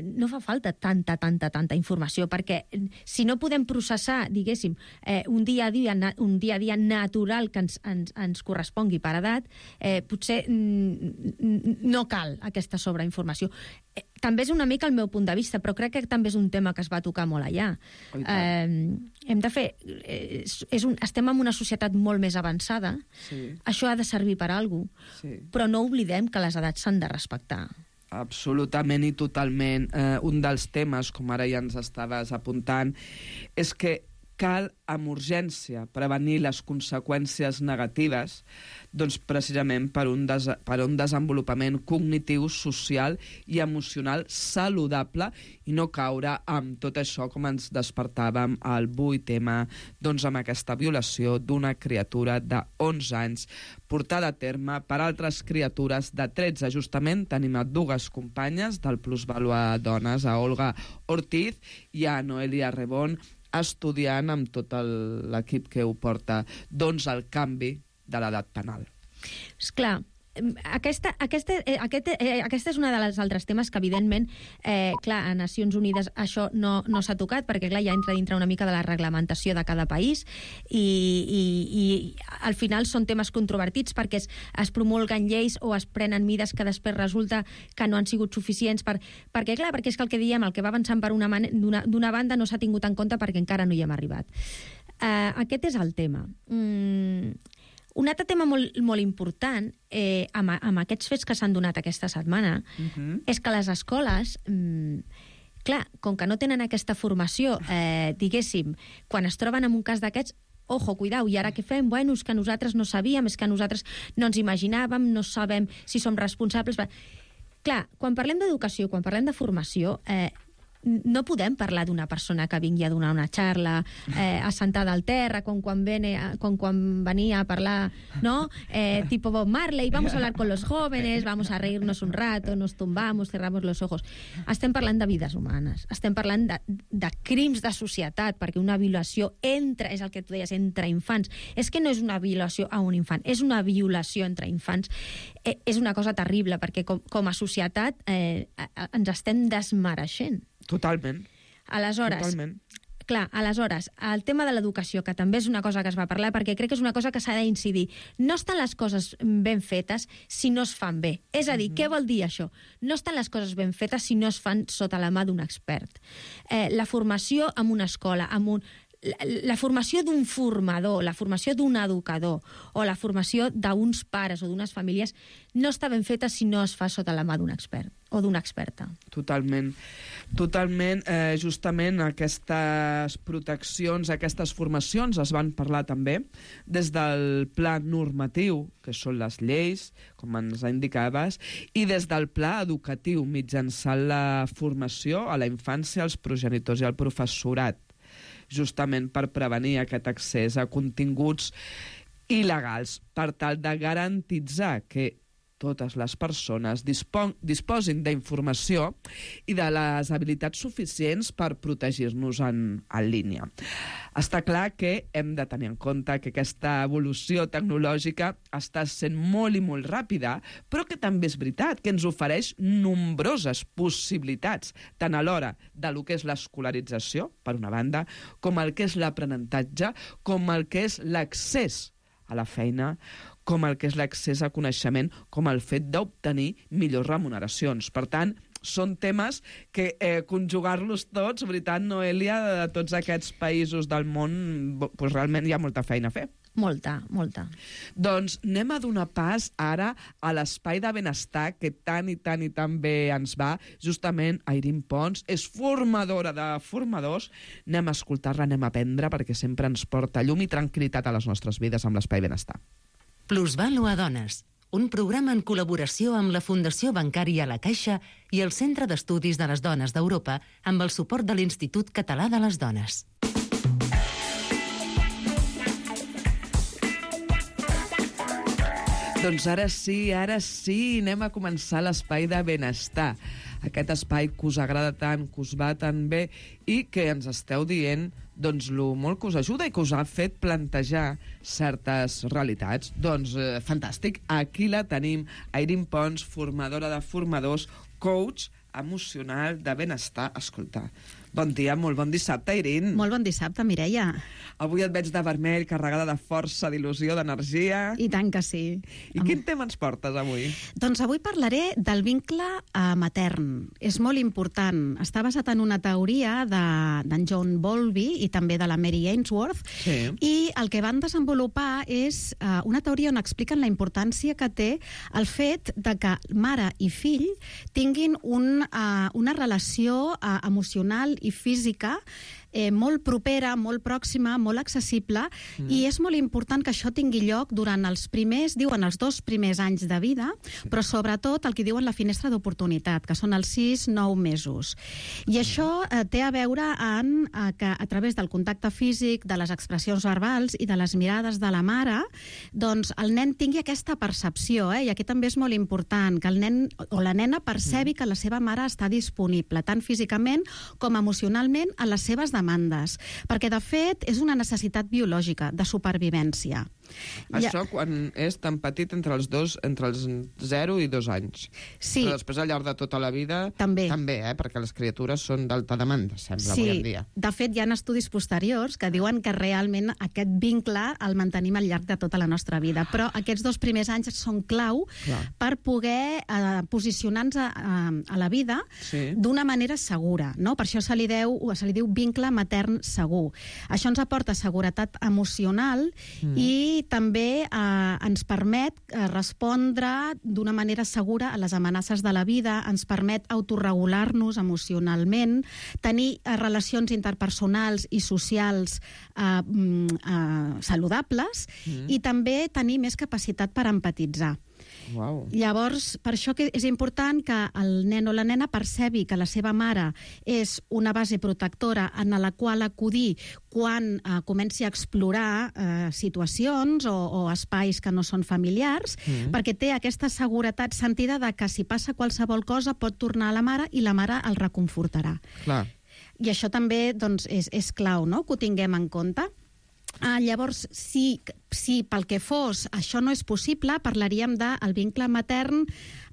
no fa falta tanta, tanta, tanta informació, perquè si no podem processar, diguéssim, eh, un, dia a dia, un dia a dia natural que ens, ens, ens correspongui per edat, eh, potser mm, no cal aquesta sobreinformació. Eh, també és una mica el meu punt de vista, però crec que també és un tema que es va tocar molt allà. Eh, hem de fer... Eh, és un, estem en una societat molt més avançada, sí. Això ha de servir per a alguna cosa, sí. Però no oblidem que les edats s'han de respectar. Absolutament i totalment. Eh, un dels temes, com ara ja ens estaves apuntant, és que cal amb urgència prevenir les conseqüències negatives, doncs precisament per un, des per un desenvolupament cognitiu, social i emocional saludable i no caure amb tot això com ens despertàvem al vuit tema, doncs amb aquesta violació d'una criatura de onze anys portada a terme per altres criatures de tretze. Justament tenim a dues companyes del Plusvàlua Dones, a Olga Ortiz i a Noelia Rebón, estudiant amb tot l'equip que ho porta, doncs el canvi de l'edat penal. Esclar, aquesta, aquesta, eh, aquest, eh, aquesta és una de les altres temes que, evidentment, eh, clar, a Nacions Unides això no, no s'ha tocat, perquè, clar, ja entra dintre una mica de la reglamentació de cada país i, i, i al final són temes controvertits perquè es, es promulguen lleis o es prenen mides que després resulta que no han sigut suficients per, perquè, clar, perquè és que el que diem, el que va avançant per una, d'una banda no s'ha tingut en compte perquè encara no hi hem arribat. Uh, aquest és el tema. Mm, Un altre tema molt, molt important eh, amb, amb aquests fets que s'han donat aquesta setmana uh-huh. és que les escoles, mm, clar, com que no tenen aquesta formació, eh, diguéssim, quan es troben en un cas d'aquests, ojo, cuidao, i ara què fem? Bueno, és que nosaltres no sabíem, és que nosaltres no ens imaginàvem, no sabem si som responsables. Clar, quan parlem d'educació, quan parlem de formació, eh, no podem parlar d'una persona que vingui a donar una xarra eh, assentada al terra, com quan, vene, com quan venia a parlar, ¿no? Eh, tipo Bob Marley, vamos a hablar con los jóvenes, vamos a reírnos un rato, nos tumbamos, cerramos los ojos. Estem parlant de vides humanes, estem parlant de, de crims de societat, perquè una violació entra, és el que tu deies, entre infants. És que no és una violació a un infant, és una violació entre infants. Eh, és una cosa terrible, perquè com, com a societat eh, ens estem desmereixent. Totalment. Aleshores, Totalment. Clar, aleshores, el tema de l'educació, que també és una cosa que es va parlar, perquè crec que és una cosa que s'ha d'incidir. No estan les coses ben fetes si no es fan bé. És a dir, mm-hmm. què vol dir això? No estan les coses ben fetes si no es fan sota la mà d'un expert. Eh, la formació en una escola, en un... La, la formació d'un formador, la formació d'un educador o la formació d'uns pares o d'unes famílies no està ben feta si no es fa sota la mà d'un expert o d'una experta. Totalment. Totalment, eh, justament aquestes proteccions, aquestes formacions es van parlar també des del pla normatiu, que són les lleis, com ens indicaves, i des del pla educatiu, mitjançant la formació a la infància, als progenitors i al professorat, justament per prevenir aquest accés a continguts il·legals, per tal de garantitzar que totes les persones dispon disposin d'informació i de les habilitats suficients per protegir-nos en, en línia. Està clar que hem de tenir en compte que aquesta evolució tecnològica està sent molt i molt ràpida, però que també és veritat que ens ofereix nombroses possibilitats, tant a l'hora de lo que és l'escolarització, per una banda, com el que és l'aprenentatge, com el que és l'accés a la feina, com el que és l'accés a coneixement, com el fet d'obtenir millors remuneracions. Per tant, són temes que eh, conjugar-los tots, veritat, Noelia, de tots aquests països del món, doncs realment hi ha molta feina a fer. Molta, molta. Doncs anem a donar pas ara a l'espai de benestar que tant i tant i tant bé ens va. Justament Airín Pons és formadora de formadors. Anem a escoltar-la, anem a aprendre, perquè sempre ens porta llum i tranquil·litat a les nostres vides amb l'espai benestar. Plusvàlua Dones, un programa en col·laboració amb la Fundació Bancària La Caixa i el Centre d'Estudis de les Dones d'Europa amb el suport de l'Institut Català de les Dones. Doncs ara sí, ara sí, anem a començar l'espai de benestar. Aquest espai que us agrada tant, que us va tan bé i que ens esteu dient doncs lo molt que us ajuda i que us ha fet plantejar certes realitats. Doncs eh, fantàstic, aquí la tenim, Airín Pons, formadora de formadors, coach emocional de benestar. Escolta, bon dia, molt bon dissabte, Airín. Molt bon dissabte, Mireia. Avui et veig de vermell, carregada de força, d'il·lusió, d'energia. I tant que sí. I Am... quin tema ens portes avui? Doncs avui parlaré del vincle eh, matern. És molt important. Està basat en una teoria d'en de, John Bowlby i també de la Mary Ainsworth. Sí. I el que van desenvolupar és eh, una teoria on expliquen la importància que té el fet de que mare i fill tinguin un, uh, una relació uh, emocional i física eh, molt propera, molt pròxima, molt accessible, mm. i és molt important que això tingui lloc durant els primers, diuen els dos primers anys de vida, sí. però sobretot el que diuen la finestra d'oportunitat, que són els sis nou mesos. I això eh, té a veure en, eh, que a través del contacte físic, de les expressions verbals i de les mirades de la mare, doncs el nen tingui aquesta percepció, eh? I aquí també és molt important que el nen o la nena percebi mm. que la seva mare està disponible, tant físicament com emocionalment, a les seves demandes. Perquè, de fet, és una necessitat biològica de supervivència. Això ja... quan és tan petit, entre els dos, entre els zero i dos anys. Sí. Però després, al llarg de tota la vida, també, també eh? perquè les criatures són d'alta demanda, sembla, sí. avui en dia. De fet, hi ha estudis posteriors que diuen que realment aquest vincle el mantenim al llarg de tota la nostra vida. Però aquests dos primers anys són clau Clar. per poder eh, posicionar-nos a, a, a la vida sí. d'una manera segura. No? Per això se li, deu, se li diu vincle matern segur. Això ens aporta seguretat emocional mm. i també eh, ens permet eh, respondre d'una manera segura a les amenaces de la vida, ens permet autorregular-nos emocionalment, tenir eh, relacions interpersonals i socials eh, eh, saludables mm. i també tenir més capacitat per empatitzar. Wow. Llavors, per això que és important que el nen o la nena percebi que la seva mare és una base protectora en la qual acudir quan eh, comenci a explorar eh, situacions o, o espais que no són familiars, mm. perquè té aquesta seguretat sentida de que si passa qualsevol cosa pot tornar a la mare i la mare el reconfortarà. Clar. I això també doncs, és, és clau, no?, que ho tinguem en compte. Ah, llavors, si, si pel que fos això no és possible, parlaríem del vincle matern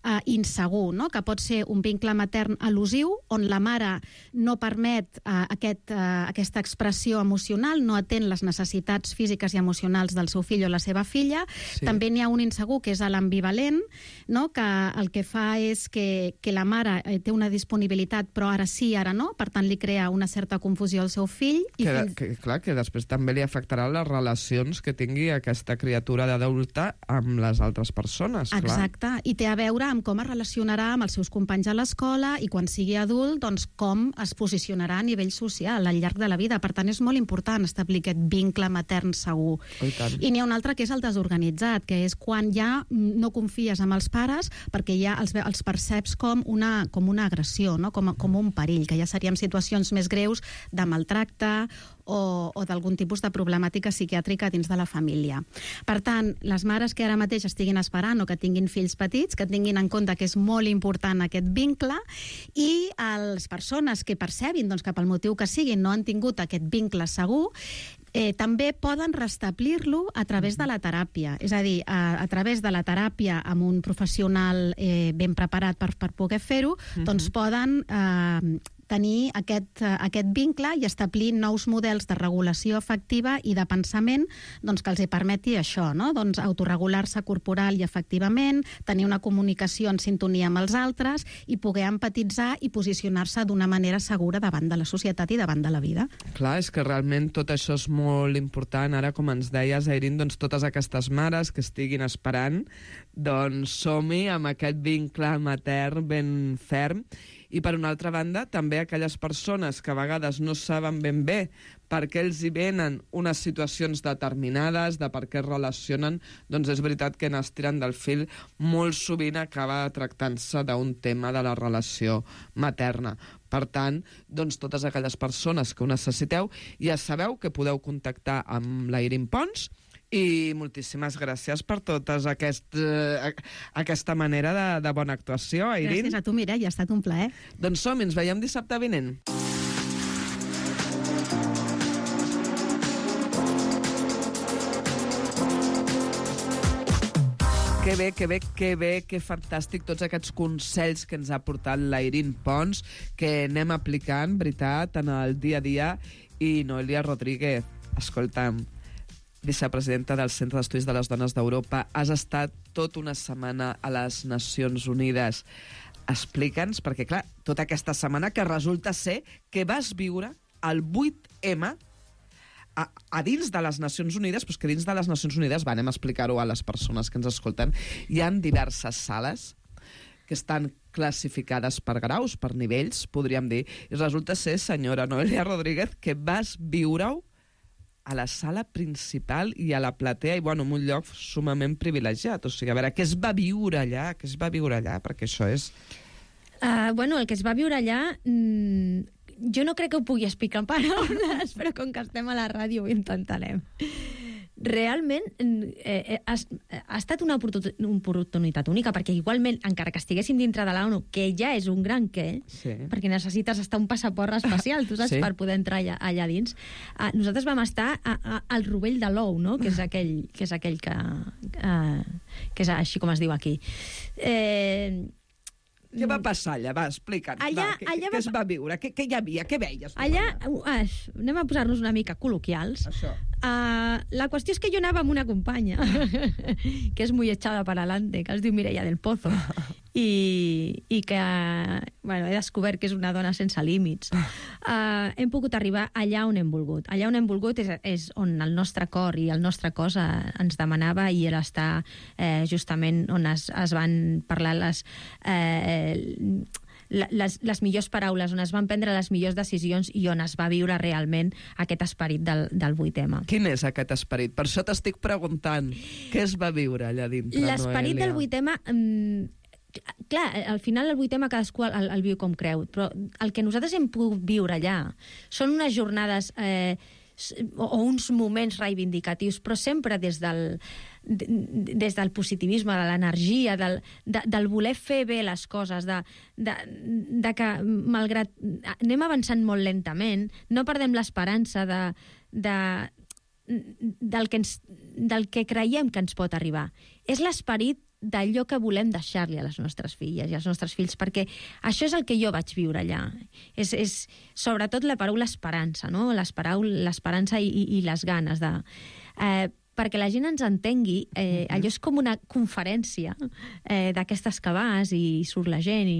eh, insegur, no? Que pot ser un vincle matern al·lusiu, on la mare no permet eh, aquest, eh, aquesta expressió emocional, no atén les necessitats físiques i emocionals del seu fill o la seva filla. Sí. També n'hi ha un insegur, que és l'ambivalent, no? Que el que fa és que, que la mare eh, té una disponibilitat, però ara sí, ara no, per tant li crea una certa confusió al seu fill. I que, fins... que, clar, que després també li afectarà les relacions que tingui aquesta criatura d'adulta amb les altres persones. Clar. Exacte, i té a veure amb com es relacionarà amb els seus companys a l'escola i quan sigui adult, doncs com es posicionarà a nivell social al llarg de la vida. Per tant, és molt important establir aquest vincle matern segur. I tant. I n'hi ha un altre que és el desorganitzat, que és quan ja no confies en els pares perquè ja els, els perceps com una, com una agressió, no? com, com un perill, que ja seríem situacions més greus de maltracte o, o d'algun tipus de problemàtica psiquiàtrica dins de la família. Per tant, les mares que ara mateix estiguin esperant o que tinguin fills petits, que tinguin en compte que és molt important aquest vincle, i les persones que percebin doncs, que pel motiu que siguin no han tingut aquest vincle segur, Eh, també poden restablir-lo a través de la teràpia. És a dir, a, a través de la teràpia amb un professional eh, ben preparat per, per poder fer-ho, uh-huh. doncs poden eh, tenir aquest, aquest vincle i establir nous models de regulació afectiva i de pensament doncs, que els hi permeti això, no? Doncs autorregular-se corporal i afectivament, tenir una comunicació en sintonia amb els altres i poder empatitzar i posicionar-se d'una manera segura davant de la societat i davant de la vida. Clar, és que realment tot això és molt important. Ara, com ens deies, Airín, doncs totes aquestes mares que estiguin esperant, doncs som-hi amb aquest vincle matern ben ferm. I, per una altra banda, també aquelles persones que a vegades no saben ben bé per què els hi venen unes situacions determinades, de per què es relacionen, doncs és veritat que en estiren del fil molt sovint acaba tractant-se d'un tema de la relació materna. Per tant, doncs totes aquelles persones que ho necessiteu, ja sabeu que podeu contactar amb l'Airín Pons, i moltíssimes gràcies per tota aquest, eh, aquesta manera de, de bona actuació, Airín. Gràcies a tu, Mireia, ha estat un plaer. Doncs som, ens veiem dissabte vinent. Que bé, que bé, que bé, que fantàstic tots aquests consells que ens ha portat l'Airín Pons, que anem aplicant, veritat, en el dia a dia. I Noelia Rodríguez, escolta'm, vicepresidenta del Centre d'Estudis de les Dones d'Europa, has estat tota una setmana a les Nacions Unides. Explica'ns, perquè clar, tota aquesta setmana que resulta ser que vas viure el vuit ema a, a dins de les Nacions Unides, però que dins de les Nacions Unides, va, anem a explicar-ho a les persones que ens escolten, hi ha diverses sales que estan classificades per graus, per nivells, podríem dir. I resulta ser, senyora Noelia Rodríguez, que vas viure-ho a la sala principal i a la platea, i bueno, en un lloc sumament privilegiat. O sigui, a veure, què es va viure allà? Què es va viure allà? Perquè això és... Uh, bueno, el que es va viure allà... Mmm, jo no crec que ho pugui explicar en paraules, però com que estem a la ràdio ho intentarem. Realment eh, ha, ha estat una oportunitat única, perquè igualment, encara que estiguéssim dintre de l'ONU, que ja és un gran què, sí. perquè necessites estar un passaport especial, tu saps, sí. per poder entrar allà, allà dins. Uh, nosaltres vam estar a, a, al rovell de l'ou, no? que és aquell que, és aquell que, uh, que és així com es diu aquí. Eh... Què va passar allà? Va, explica't. Allà, va, què, allà què va... es va viure? Què, què hi havia? Què veies? Allà, uh, anem a posar-nos una mica col·loquials. Això. Uh, la qüestió és que jo anava amb una companya, que és muy echada para adelante, que es diu Mireia del Pozo, i, i que bueno, he descobert que és una dona sense límits. Uh, hem pogut arribar allà on hem volgut. Allà on hem volgut és, és on el nostre cor i el nostre cos uh, ens demanava, i era estar eh, justament on es, es van parlar les... Eh, Les, les millors paraules, on es van prendre les millors decisions i on es va viure realment aquest esperit del, del vuit eme. Quin és aquest esperit? Per això t'estic preguntant. Què es va viure allà dintre, Noelia? L'esperit del vuit eme... Mmm, clar, al final el vuit eme cadascú el, el viu com creu, però el que nosaltres hem pogut viure allà són unes jornades eh, o uns moments reivindicatius, però sempre des del, des del positivisme, de l'energia, del, de, del voler fer bé les coses, de, de, de que, malgrat anem avançant molt lentament, no perdem l'esperança de, de, del, que ens, del que creiem que ens pot arribar. És l'esperit d'allò que volem deixar-li a les nostres filles i als nostres fills, perquè això és el que jo vaig viure allà. És, és sobretot la paraula esperança, no? L'esperança i, i, i les ganes de... Eh, perquè la gent ens entengui, eh, allò és com una conferència eh, d'aquestes que vas i surt la gent i...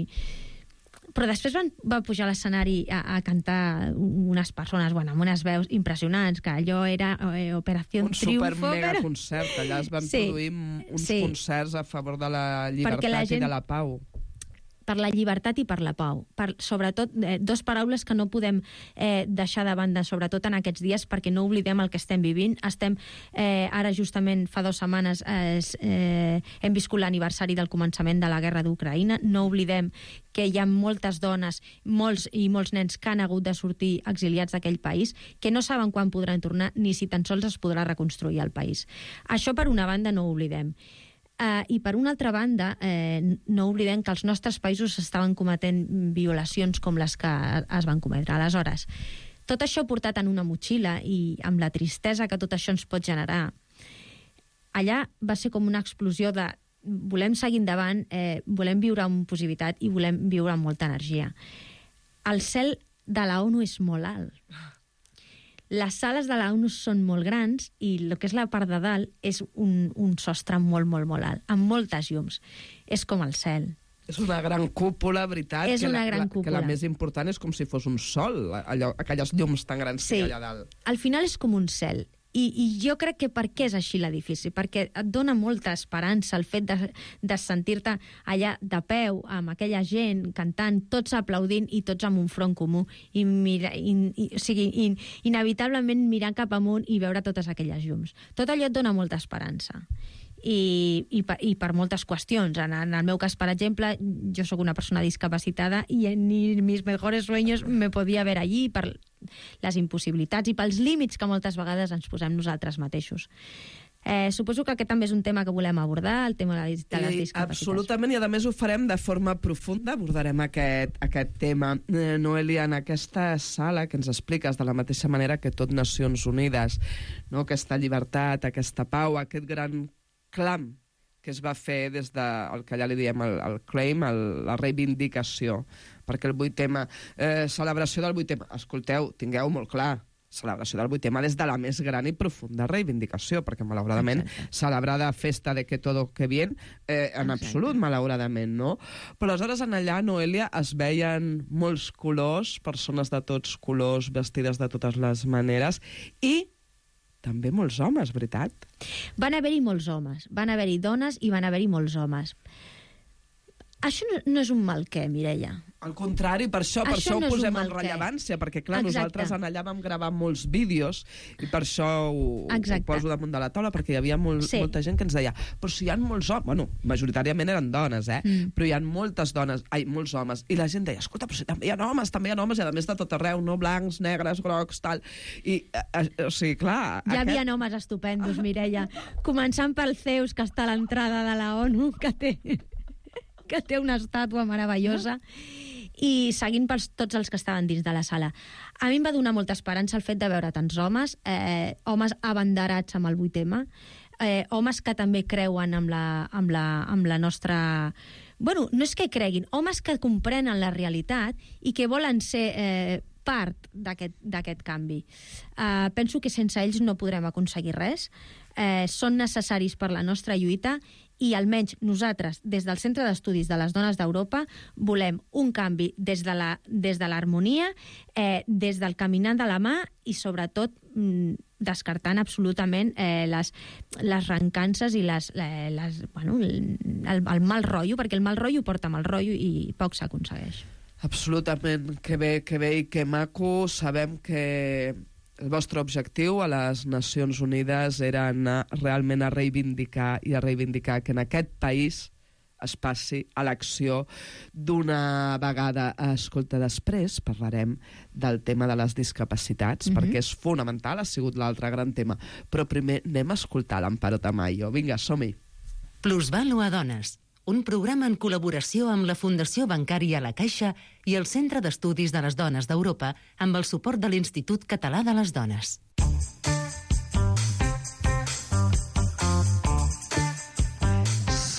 Però després van, va pujar a l'escenari a, a cantar unes persones, bueno, amb unes veus impressionants, que allò era eh, Operació un Triunfo. Un super mega però... concert, allà es van sí, produir uns sí. concerts a favor de la llibertat la gent... i de la pau. Per la llibertat i per la pau. Per, sobretot, eh, dos paraules que no podem eh, deixar de banda, sobretot en aquests dies, perquè no oblidem el que estem vivint. Estem, eh, ara justament fa dues setmanes, eh, eh, hem viscut l'aniversari del començament de la guerra d'Ucraïna. No oblidem que hi ha moltes dones, molts i molts nens que han hagut de sortir exiliats d'aquell país, que no saben quan podran tornar ni si tan sols es podrà reconstruir el país. Això, per una banda, no ho oblidem. Uh, I per una altra banda, eh, no oblidem que els nostres països estaven cometent violacions com les que es van cometre. Aleshores, tot això portat en una motxilla i amb la tristesa que tot això ens pot generar, allà va ser com una explosió de volem seguir endavant, eh, volem viure amb positivitat i volem viure amb molta energia. El cel de la ONU és molt alt. Les sales de la ONU són molt grans i el que és la part de dalt és un, un sostre molt, molt, molt alt, amb moltes llums. És com el cel. És una gran cúpula, veritat. És que una la, gran la, cúpula. Que la més important és com si fos un sol, allò, aquelles llums tan grans sí. que hi ha allà dalt. Al final és com un cel. I, I jo crec que per què és així l'edifici? Perquè et dona molta esperança el fet de, de sentir-te allà de peu, amb aquella gent cantant, tots aplaudint i tots amb un front comú. I, mira, i, i, o sigui, in, inevitablement mirar cap amunt i veure totes aquelles llums. Tot allò et dona molta esperança. I, i, per, i per moltes qüestions. En, en el meu cas, per exemple, jo sóc una persona discapacitada i ni mis mejores sueños me podia ver allí per les impossibilitats i pels límits que moltes vegades ens posem nosaltres mateixos. Eh, suposo que aquest també és un tema que volem abordar, el tema de les, de les discapacitats. Absolutament, i a més ho farem de forma profunda, abordarem aquest, aquest tema. Eh, Noelia, en aquesta sala que ens expliques de la mateixa manera que tot Nacions Unides, no? Aquesta llibertat, aquesta pau, aquest gran clam que es va fer des del que allà li diem el, el claim, el, la reivindicació, perquè el vuit eme, eh, celebració del vuit eme, escolteu, tingueu molt clar, celebració del vuit eme des de la més gran i profunda reivindicació, perquè malauradament Exacte. celebrar de festa de que todo que bien, eh, en Exacte. absolut, malauradament, no? Però aleshores en allà, Noelia, es veien molts colors, persones de tots colors, vestides de totes les maneres, i també molts homes, veritat? Van haver-hi molts homes, van haver-hi dones i van haver-hi molts homes. Això no, no és un mal què, Mireia? Al contrari, per això, per això, Això ho no és un posem en mal què. rellevància, perquè, clar, Exacte. nosaltres en allà vam gravar molts vídeos i per això ho, ho Exacte. poso damunt de la taula, perquè hi havia molt, Sí. molta gent que ens deia però si hi ha molts homes, bueno, majoritàriament eren dones, eh? Mm. Però hi ha moltes dones, ai, molts homes, i la gent deia, escolta, però si també hi ha homes, també hi ha homes, i a més de tot arreu, no? Blancs, negres, grocs, tal... I, eh, eh, o sigui, clar... Hi aquest... havia homes estupendos, Mireia. Començant pel Zeus, que està a l'entrada de la ONU, que té, que té una estàtua meravellosa, i seguint per tots els que estaven dins de la sala. A mi em va donar molta esperança el fet de veure tants homes, eh, homes abanderats amb el vuit eme, eh, homes que també creuen amb la, amb la, amb la nostra... Bueno, no és que creguin, homes que comprenen la realitat i que volen ser eh, part d'aquest canvi. Eh, penso que sense ells no podrem aconseguir res. Eh, són necessaris per la nostra lluita i almenys nosaltres, des del Centre d'Estudis de les Dones d'Europa, volem un canvi des de la, des de l'harmonia, eh, des del caminar de la mà i, sobretot, mm, descartant absolutament eh, les, les rencances i les, eh, les, bueno, el, el mal rotllo, perquè el mal rotllo porta mal rotllo i poc s'aconsegueix. Absolutament, que bé, que bé i que maco. Sabem que el vostre objectiu a les Nacions Unides era anar realment a reivindicar i a reivindicar que en aquest país es passi a l'acció d'una vegada. Escolta, després parlarem del tema de les discapacitats, mm-hmm. perquè és fonamental, ha sigut l'altre gran tema. Però primer anem a escoltar l'Amparo Tamayo. Vinga, som-hi. Plusvàlua Dones, un programa en col·laboració amb la Fundació Bancària La Caixa i el Centre d'Estudis de les Dones d'Europa amb el suport de l'Institut Català de les Dones.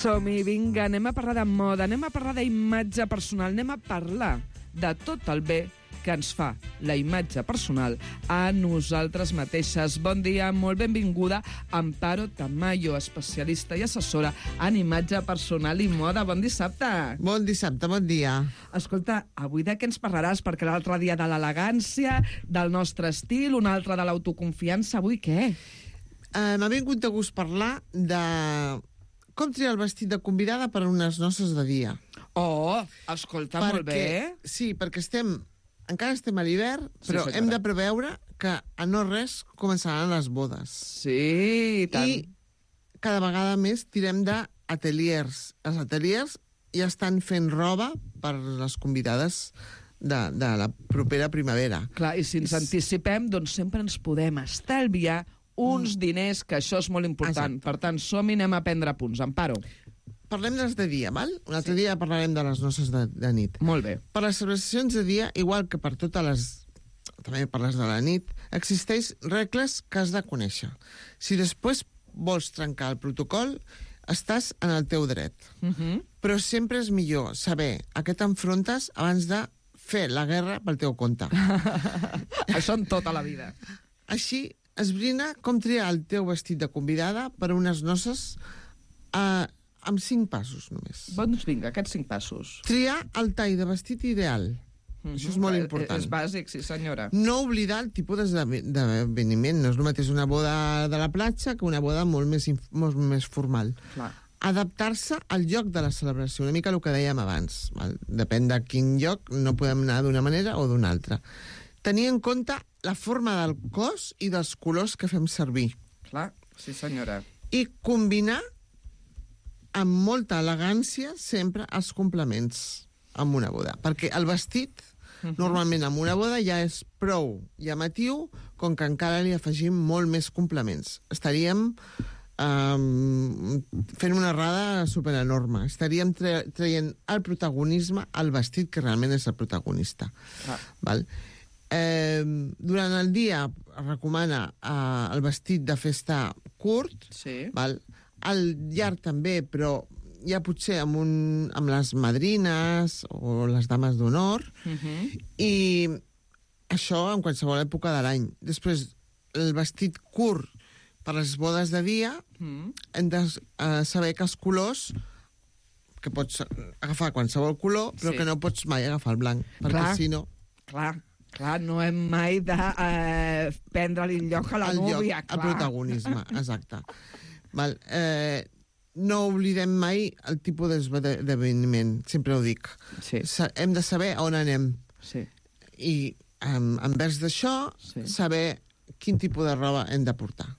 Som-hi, vinga, anem a parlar de moda, anem a parlar d'imatge personal, anem a parlar de tot el bé que ens fa la imatge personal a nosaltres mateixes. Bon dia, molt benvinguda, Amparo Tamayo, especialista i assessora en imatge personal i moda. Bon dissabte. Bon dissabte, bon dia. Escolta, avui de què ens parlaràs? Perquè l'altre dia de l'elegància, del nostre estil, un altre de l'autoconfiança. Avui què? Uh, M'ha vingut de gust parlar de com triar el vestit de convidada per a unes noces de dia. Oh, escolta, perquè, molt bé. Sí, perquè estem... Encara estem a l'hivern, però sí, hem de preveure que a no res començaran les bodes. Sí, i tant. I cada vegada més tirem d'ateliers. Els ateliers ja estan fent roba per les convidades de, de la propera primavera. Clar, i si ens anticipem, doncs sempre ens podem estalviar uns mm. diners, que això és molt important. Exacte. Per tant, som-hi, anem a prendre punts. Amparo. Parlem dels de dia, val? Un altre sí. dia parlarem de les noces de, de nit. Molt bé. Per les celebracions de dia, igual que per totes les... també per les de la nit, existeix regles que has de conèixer. Si després vols trencar el protocol, estàs en el teu dret. Uh-huh. Però sempre és millor saber a què t'enfrontes abans de fer la guerra pel teu compte. Això en tota la vida. Així, esbrina com triar el teu vestit de convidada per a unes noces a... amb cinc passos, només. Doncs vinga, aquests cinc passos. Triar el tall de vestit ideal. Mm-hmm. Això és molt important. És bàsic, sí senyora. No oblidar el tipus d'esdeveniment. No és el mateix una boda de la platja que una boda molt més, molt més formal. Clar. Adaptar-se al lloc de la celebració, una mica el que dèiem abans. Val? Depèn de quin lloc, no podem anar d'una manera o d'una altra. Tenir en compte la forma del cos i dels colors que fem servir. Clar, sí senyora. I combinar amb molta elegància sempre els complements amb una boda. Perquè el vestit, uh-huh. normalment amb una boda, ja és prou llamatiu, com que encara li afegim molt més complements. Estaríem um, fent una errada superenorme. Estaríem tra- traient el protagonisme al vestit, que realment és el protagonista. Ah. Val? Eh, durant el dia es recomana eh, el vestit de festa curt, sí. val? Al llarg també, però ja potser amb, un, amb les madrines o les dames d'honor, uh-huh. i això en qualsevol època de l'any. Després, el vestit curt per les bodes de dia, uh-huh. hem de uh, saber que els colors, que pots agafar qualsevol color, però sí. que no pots mai agafar el blanc, perquè clar, si no... Clar, clar, no hem mai de eh, prendre-li el lloc a la el núvia. Lloc, el protagonisme, exacte. Val, eh, no oblidem mai el tipus d'esdeveniment, sempre ho dic. Sí. Hem de saber on anem. Sí. I um, envers d'això, Sí. saber quin tipus de roba hem de portar.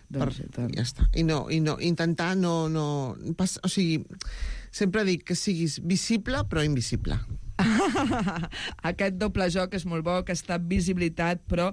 Doncs, per, ja està. I no, i no, intentar no... no pas, o sigui, sempre dic que siguis visible però invisible. Aquest doble joc és molt bo, aquesta visibilitat però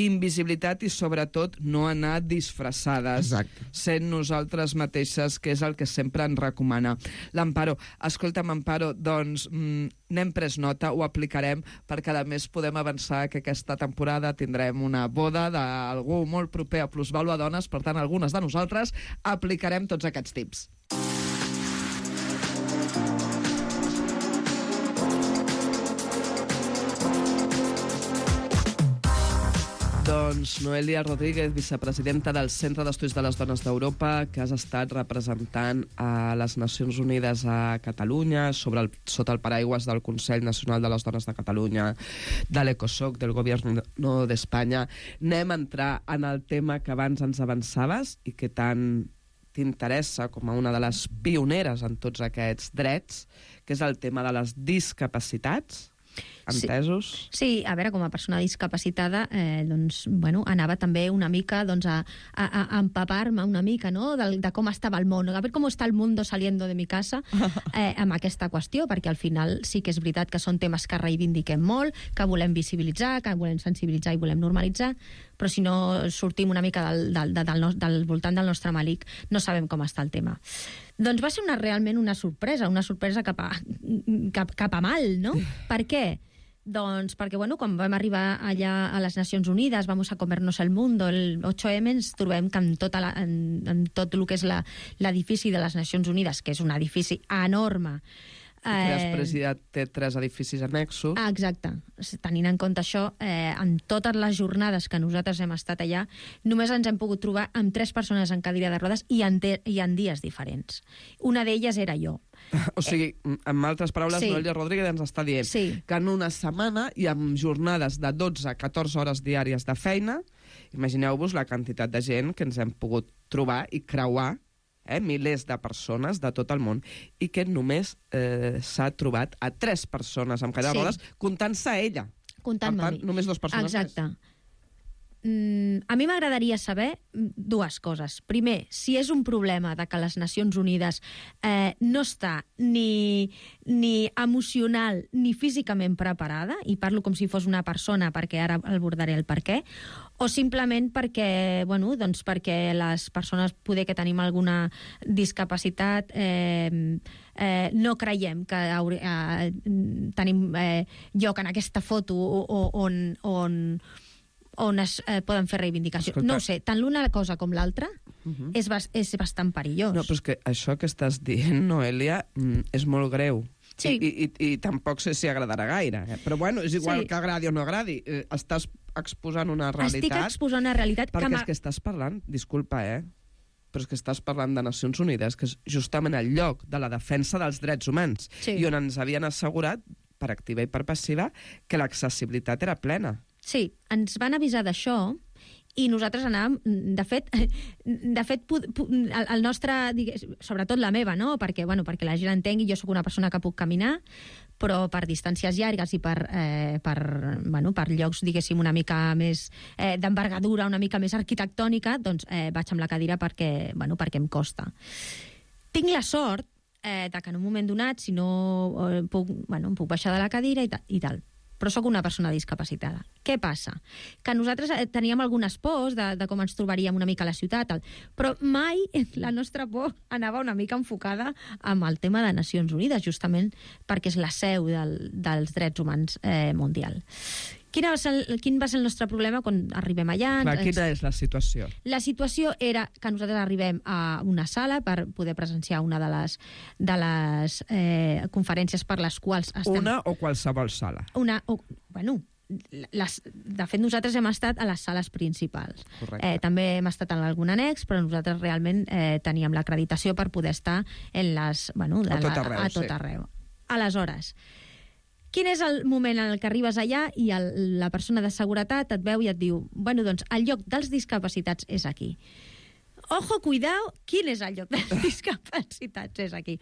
invisibilitat, i sobretot no anar disfressades. Exacte. Sent nosaltres mateixes, que és el que sempre ens recomana l'Amparo. Escolta'm, Amparo, doncs mm, n'hem pres nota, ho aplicarem, perquè a més podem avançar que aquesta temporada tindrem una boda d'algú molt proper a Plusvàlua Dones, per tant algunes de nosaltres aplicarem tots aquests tips. Doncs Noelia Rodríguez, vicepresidenta del Centre d'Estudis de les Dones d'Europa, que has estat representant a les Nacions Unides a Catalunya, sobre el, sota el paraigües del Consell Nacional de les Dones de Catalunya, de l'ECOSOC, del Govern d'Espanya. Anem a entrar en el tema que abans ens avançaves i que tant t'interessa com a una de les pioneres en tots aquests drets, que és el tema de les discapacitats. Entesos? Sí. sí, a veure, com a persona discapacitada, eh, doncs, bueno, anava també una mica doncs, a, a, a empapar-me una mica, no?, de, de com estava el món, a veure com està el mundo saliendo de mi casa, eh, amb aquesta qüestió, perquè al final sí que és veritat que són temes que reivindiquem molt, que volem visibilitzar, que volem sensibilitzar i volem normalitzar, però si no sortim una mica del, del, del, del, del voltant del nostre malic, no sabem com està el tema. Doncs va ser una, realment una sorpresa, una sorpresa cap a, cap, cap a mal, no? Per què? Doncs perquè, bueno, quan vam arribar allà a les Nacions Unides, vamos a comernos el mundo, el ocho eme, ens trobem que en, tota la, en, en tot el que és l'edifici de les Nacions Unides, que és un edifici enorme, i que després ja té tres edificis annexos. Ah, exacte. Tenint en compte això, eh, en totes les jornades que nosaltres hem estat allà, només ens hem pogut trobar amb tres persones en cadira de rodes i en, te, i en dies diferents. Una d'elles era jo. O sigui, en altres paraules, sí. Noelia Rodríguez ens està dient sí. que en una setmana i amb jornades de dotze a catorze hores diàries de feina, imagineu-vos la quantitat de gent que ens hem pogut trobar i creuar, eh, milers de persones de tot el món, i que només eh, s'ha trobat a tres persones amb cadira de rodes, sí. comptant-se a ella. Comptant-me per tant, només dues persones. Exacte. Mm, a mi m'agradaria saber dues coses. Primer, si és un problema de que les Nacions Unides eh, no està ni, ni emocional ni físicament preparada, i parlo com si fos una persona perquè ara abordaré el per què, o simplement perquè, bueno, doncs perquè les persones poder que tenim alguna discapacitat eh, eh, no creiem que haure, eh, tenim eh, lloc en aquesta foto on... on on es eh, poden fer reivindicació. Escolta, no ho sé, tant l'una cosa com l'altra uh -huh. és, bas és bastant perillós. No, però és que això que estàs dient, Noelia, mm, és molt greu. Sí. I, i, I tampoc sé si agradarà gaire. Eh? Però bueno, és igual sí. que agradi o no agradi. Eh, estàs exposant una realitat... Estic exposant una realitat... Perquè que és que estàs parlant, disculpa, eh? però és que estàs parlant de Nacions Unides, que és justament el lloc de la defensa dels drets humans, sí. i on ens havien assegurat, per activa i per passiva, que l'accessibilitat era plena. Sí, ens van avisar d'això i nosaltres anàvem, de fet, de fet el, el nostre, digues, sobretot la meva, no? Perquè, bueno, perquè la gent entengui, jo sóc una persona que puc caminar, però per distàncies llargues i per, eh, per, bueno, per llocs, diguéssim, una mica més eh, d'envergadura, una mica més arquitectònica, doncs eh, vaig amb la cadira perquè, bueno, perquè em costa. Tinc la sort eh, de que en un moment donat, si no eh, puc, bueno, em puc baixar de la cadira i, ta, i tal, però sóc una persona discapacitada. Què passa? Que nosaltres teníem algunes pors de, de com ens trobaríem una mica a la ciutat, tal, però mai la nostra por anava una mica enfocada amb el tema de Nacions Unides, justament perquè és la seu del, dels drets humans eh, mundial. Quin va, ser el, quin va ser el nostre problema quan arribem allà? Clar, quina és la situació? La situació era que nosaltres arribem a una sala per poder presenciar una de les, de les eh, conferències per les quals estem... Una o qualsevol sala? Una, o, bueno, les, de fet nosaltres hem estat a les sales principals. Eh, també hem estat en algun annex, però nosaltres realment eh, teníem l'acreditació per poder estar en les, bueno, a tot arreu. A tot arreu. Sí. Aleshores, quin és el moment en el que arribes allà i el, la persona de seguretat et veu i et diu, bueno, doncs el lloc dels discapacitats és aquí. ojo, cuidao, quin és el lloc dels discapacitats? És aquí.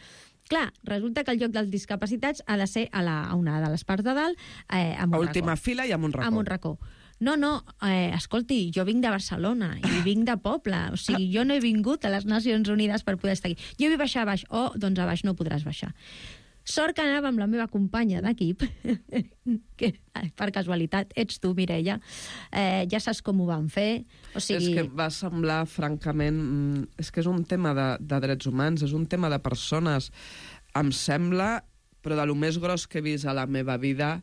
Clar, resulta que el lloc dels discapacitats ha de ser a, la, a una de les parts de dalt, eh, amb a un última racó. fila i amb un racó. Amb un racó. No, no, eh, escolti, jo vinc de Barcelona i vinc de poble, o sigui, jo no he vingut a les Nacions Unides per poder estar aquí. Jo vull baixar a baix. Oh, doncs a baix no podràs baixar. Sort que anava amb la meva companya d'equip, que per casualitat ets tu, Mireia, eh, ja saps com ho van fer. O sigui... És que va semblar, francament... És que és un tema de, de drets humans, és un tema de persones. Em sembla, però de lo més gros que he vist a la meva vida,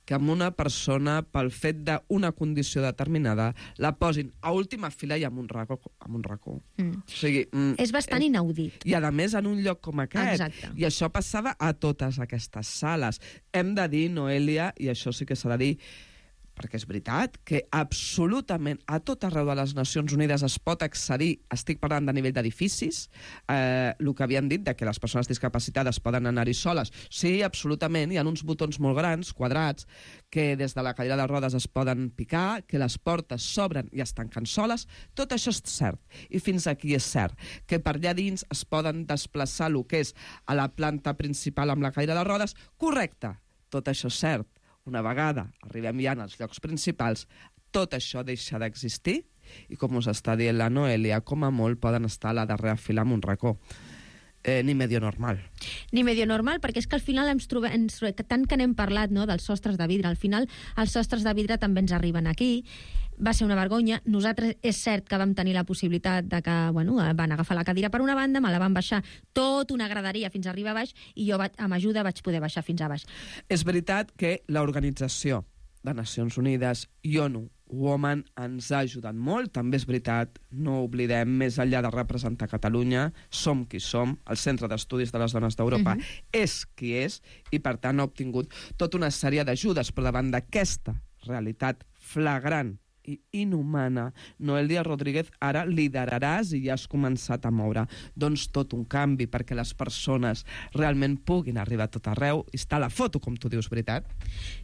que amb una persona, pel fet d'una condició determinada, la posin a última fila i amb un racó. Amb un racó. Mm. O sigui, mm, és bastant és... inaudit. I, a més, en un lloc com aquest. Exacte. I això passava a totes aquestes sales. Hem de dir, Noelia, i això sí que s'ha de dir, perquè és veritat que absolutament a tot arreu de les Nacions Unides es pot accedir, estic parlant de nivell d'edificis, eh, el que havien dit de que les persones discapacitades poden anar-hi soles, sí, absolutament, hi ha uns botons molt grans, quadrats, que des de la cadira de rodes es poden picar, que les portes s'obren i es tanquen soles, tot això és cert, i fins aquí és cert, que per allà dins es poden desplaçar el que és a la planta principal amb la cadira de rodes, correcte, tot això és cert. Una vegada arribem ja als llocs principals, tot això deixa d'existir i, com us està dient la Noelia, com a molt poden estar a la darrera fila amb un racó. Eh, ni medio normal. Ni medio normal, perquè és que al final ens trobem, ens, tant que n'hem parlat, no, dels sostres de vidre, al final els sostres de vidre també ens arriben aquí. Va ser una vergonya. Nosaltres és cert que vam tenir la possibilitat de que, bueno, van agafar la cadira per una banda, me la van baixar tot una graderia fins a arribar a baix i jo vaig, amb ajuda vaig poder baixar fins a baix. És veritat que l'Organització de Nacions Unides i ONU Women ens ha ajudat molt, també és veritat, no oblidem, més enllà de representar Catalunya, som qui som, el Centre d'Estudis de les Dones d'Europa uh-huh. és qui és, i per tant ha obtingut tota una sèrie d'ajudes, però davant d'aquesta realitat flagrant i inhumana, Noelia Rodríguez, ara lideraràs i ja has començat a moure doncs tot un canvi perquè les persones realment puguin arribar a tot arreu. I està la foto, com tu dius, veritat?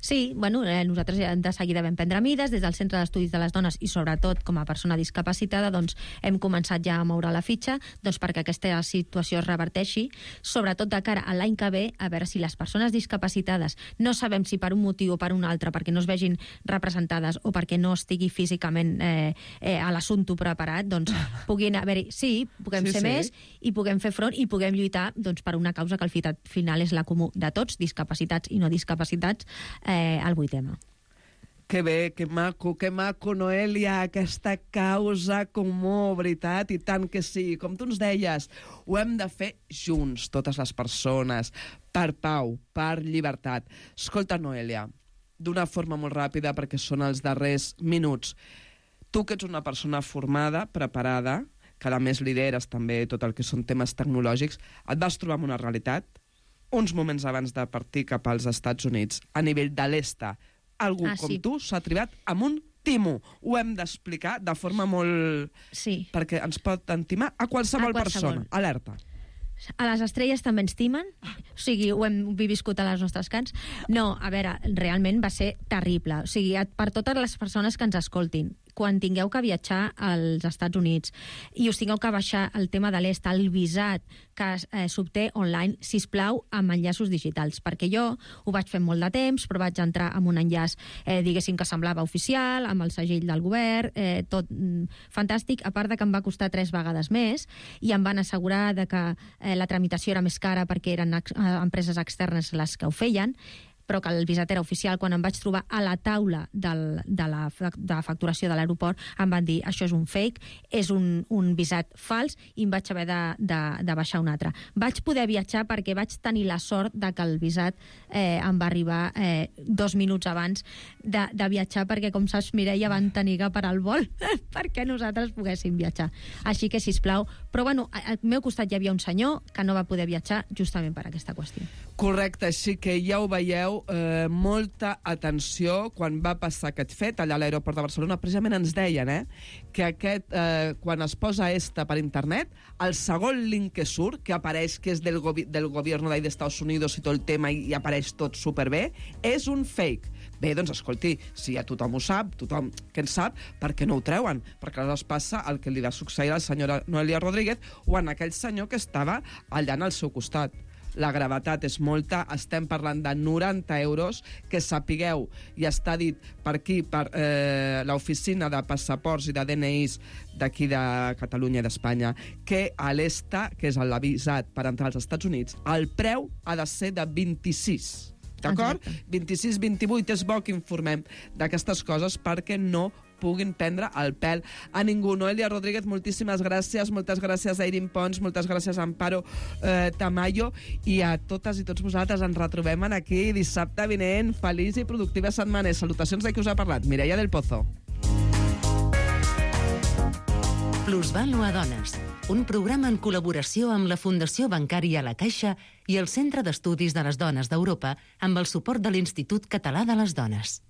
Sí, bueno, eh, nosaltres de seguida vam prendre mides des del Centre d'Estudis de les Dones i sobretot com a persona discapacitada doncs hem començat ja a moure la fitxa doncs perquè aquesta situació es reverteixi, sobretot de cara a l'any que ve, a veure si les persones discapacitades no sabem si per un motiu o per un altre, perquè no es vegin representades o perquè no estigui físicament eh, eh, a l'assumpte preparat, doncs puguin haver-hi... Sí, puguem sí, ser sí. més i puguem fer front i puguem lluitar doncs, per una causa que al final és la comú de tots, discapacitats i no discapacitats, eh, el vuit ema. Que bé, que maco, que maco, Noelia, aquesta causa comú, veritat, i tant que sí. Com tu ens deies, ho hem de fer junts, totes les persones, per pau, per llibertat. Escolta, Noelia, d'una forma molt ràpida, perquè són els darrers minuts. Tu, que ets una persona formada, preparada, que a més lideres també tot el que són temes tecnològics, et vas trobar amb una realitat, uns moments abans de partir cap als Estats Units, a nivell de l'Esta, algú ah, com sí. tu s'ha tribat amb un timo. Ho hem d'explicar de forma molt... Sí. Perquè ens pot entimar a qualsevol, a qualsevol. persona. Alerta. A les estrelles també ens timen, o sigui, ho hem viscut a les nostres cants. No, a veure, realment va ser terrible. O sigui, per totes les persones que ens escoltin, quan tingueu que viatjar als Estats Units i us tingueu que baixar el tema de l'est, el visat que eh, s'obté online, sisplau, amb enllaços digitals, perquè jo ho vaig fer molt de temps, però vaig entrar amb un enllaç, eh, diguéssim, que semblava oficial, amb el segell del govern, eh, tot mm, fantàstic, a part de que em va costar tres vegades més, i em van assegurar de que eh, la tramitació era més cara perquè eren ex eh, empreses externes les que ho feien, però que el visat era oficial. Quan em vaig trobar a la taula del, de, la, de la facturació de l'aeroport, em van dir, això és un fake, és un, un visat fals, i em vaig haver de, de, de baixar un altre. Vaig poder viatjar perquè vaig tenir la sort de que el visat eh, em va arribar eh, dos minuts abans de, de viatjar, perquè, com saps, Mireia, van tenir que parar el vol perquè nosaltres poguéssim viatjar. Així que, sisplau, però bueno, al meu costat hi havia un senyor que no va poder viatjar justament per aquesta qüestió. Correcte, així que ja ho veieu, eh, molta atenció quan va passar aquest fet allà a l'aeroport de Barcelona. Precisament ens deien eh, que aquest, eh, quan es posa ESTA per internet, el segon link que surt, que apareix que és del, govi del govern d'Estats Units i tot el tema i, i apareix tot superbé, és un fake, Bé, doncs, escolti, si ja tothom ho sap, tothom que en sap, per què no ho treuen? Perquè aleshores passa el que li va succeir a la senyora Noelia Rodríguez o en aquell senyor que estava allà al seu costat. La gravetat és molta, estem parlant de noranta euros, que sapigueu, i està dit per aquí, per eh, l'oficina de passaports i de D N Is d'aquí de Catalunya i d'Espanya, que a l'ESTA, que és l'avisat per entrar als Estats Units, el preu ha de ser de vint-i-sis. D'acord? vint-i-sis vint-i-vuit, és bo que informem d'aquestes coses perquè no puguin prendre el pèl a ningú. Noelia Rodríguez, moltíssimes gràcies, moltes gràcies a Eirin Pons, moltes gràcies a Amparo eh, Tamayo, i a totes i tots vosaltres ens retrobem aquí dissabte vinent. Feliç i productiva setmana. Salutacions de qui us ha parlat, Mireia del Pozo. Plusvàlua Dones, un programa en col·laboració amb la Fundació Bancària La Caixa i el Centre d'Estudis de les Dones d'Europa amb el suport de l'Institut Català de les Dones.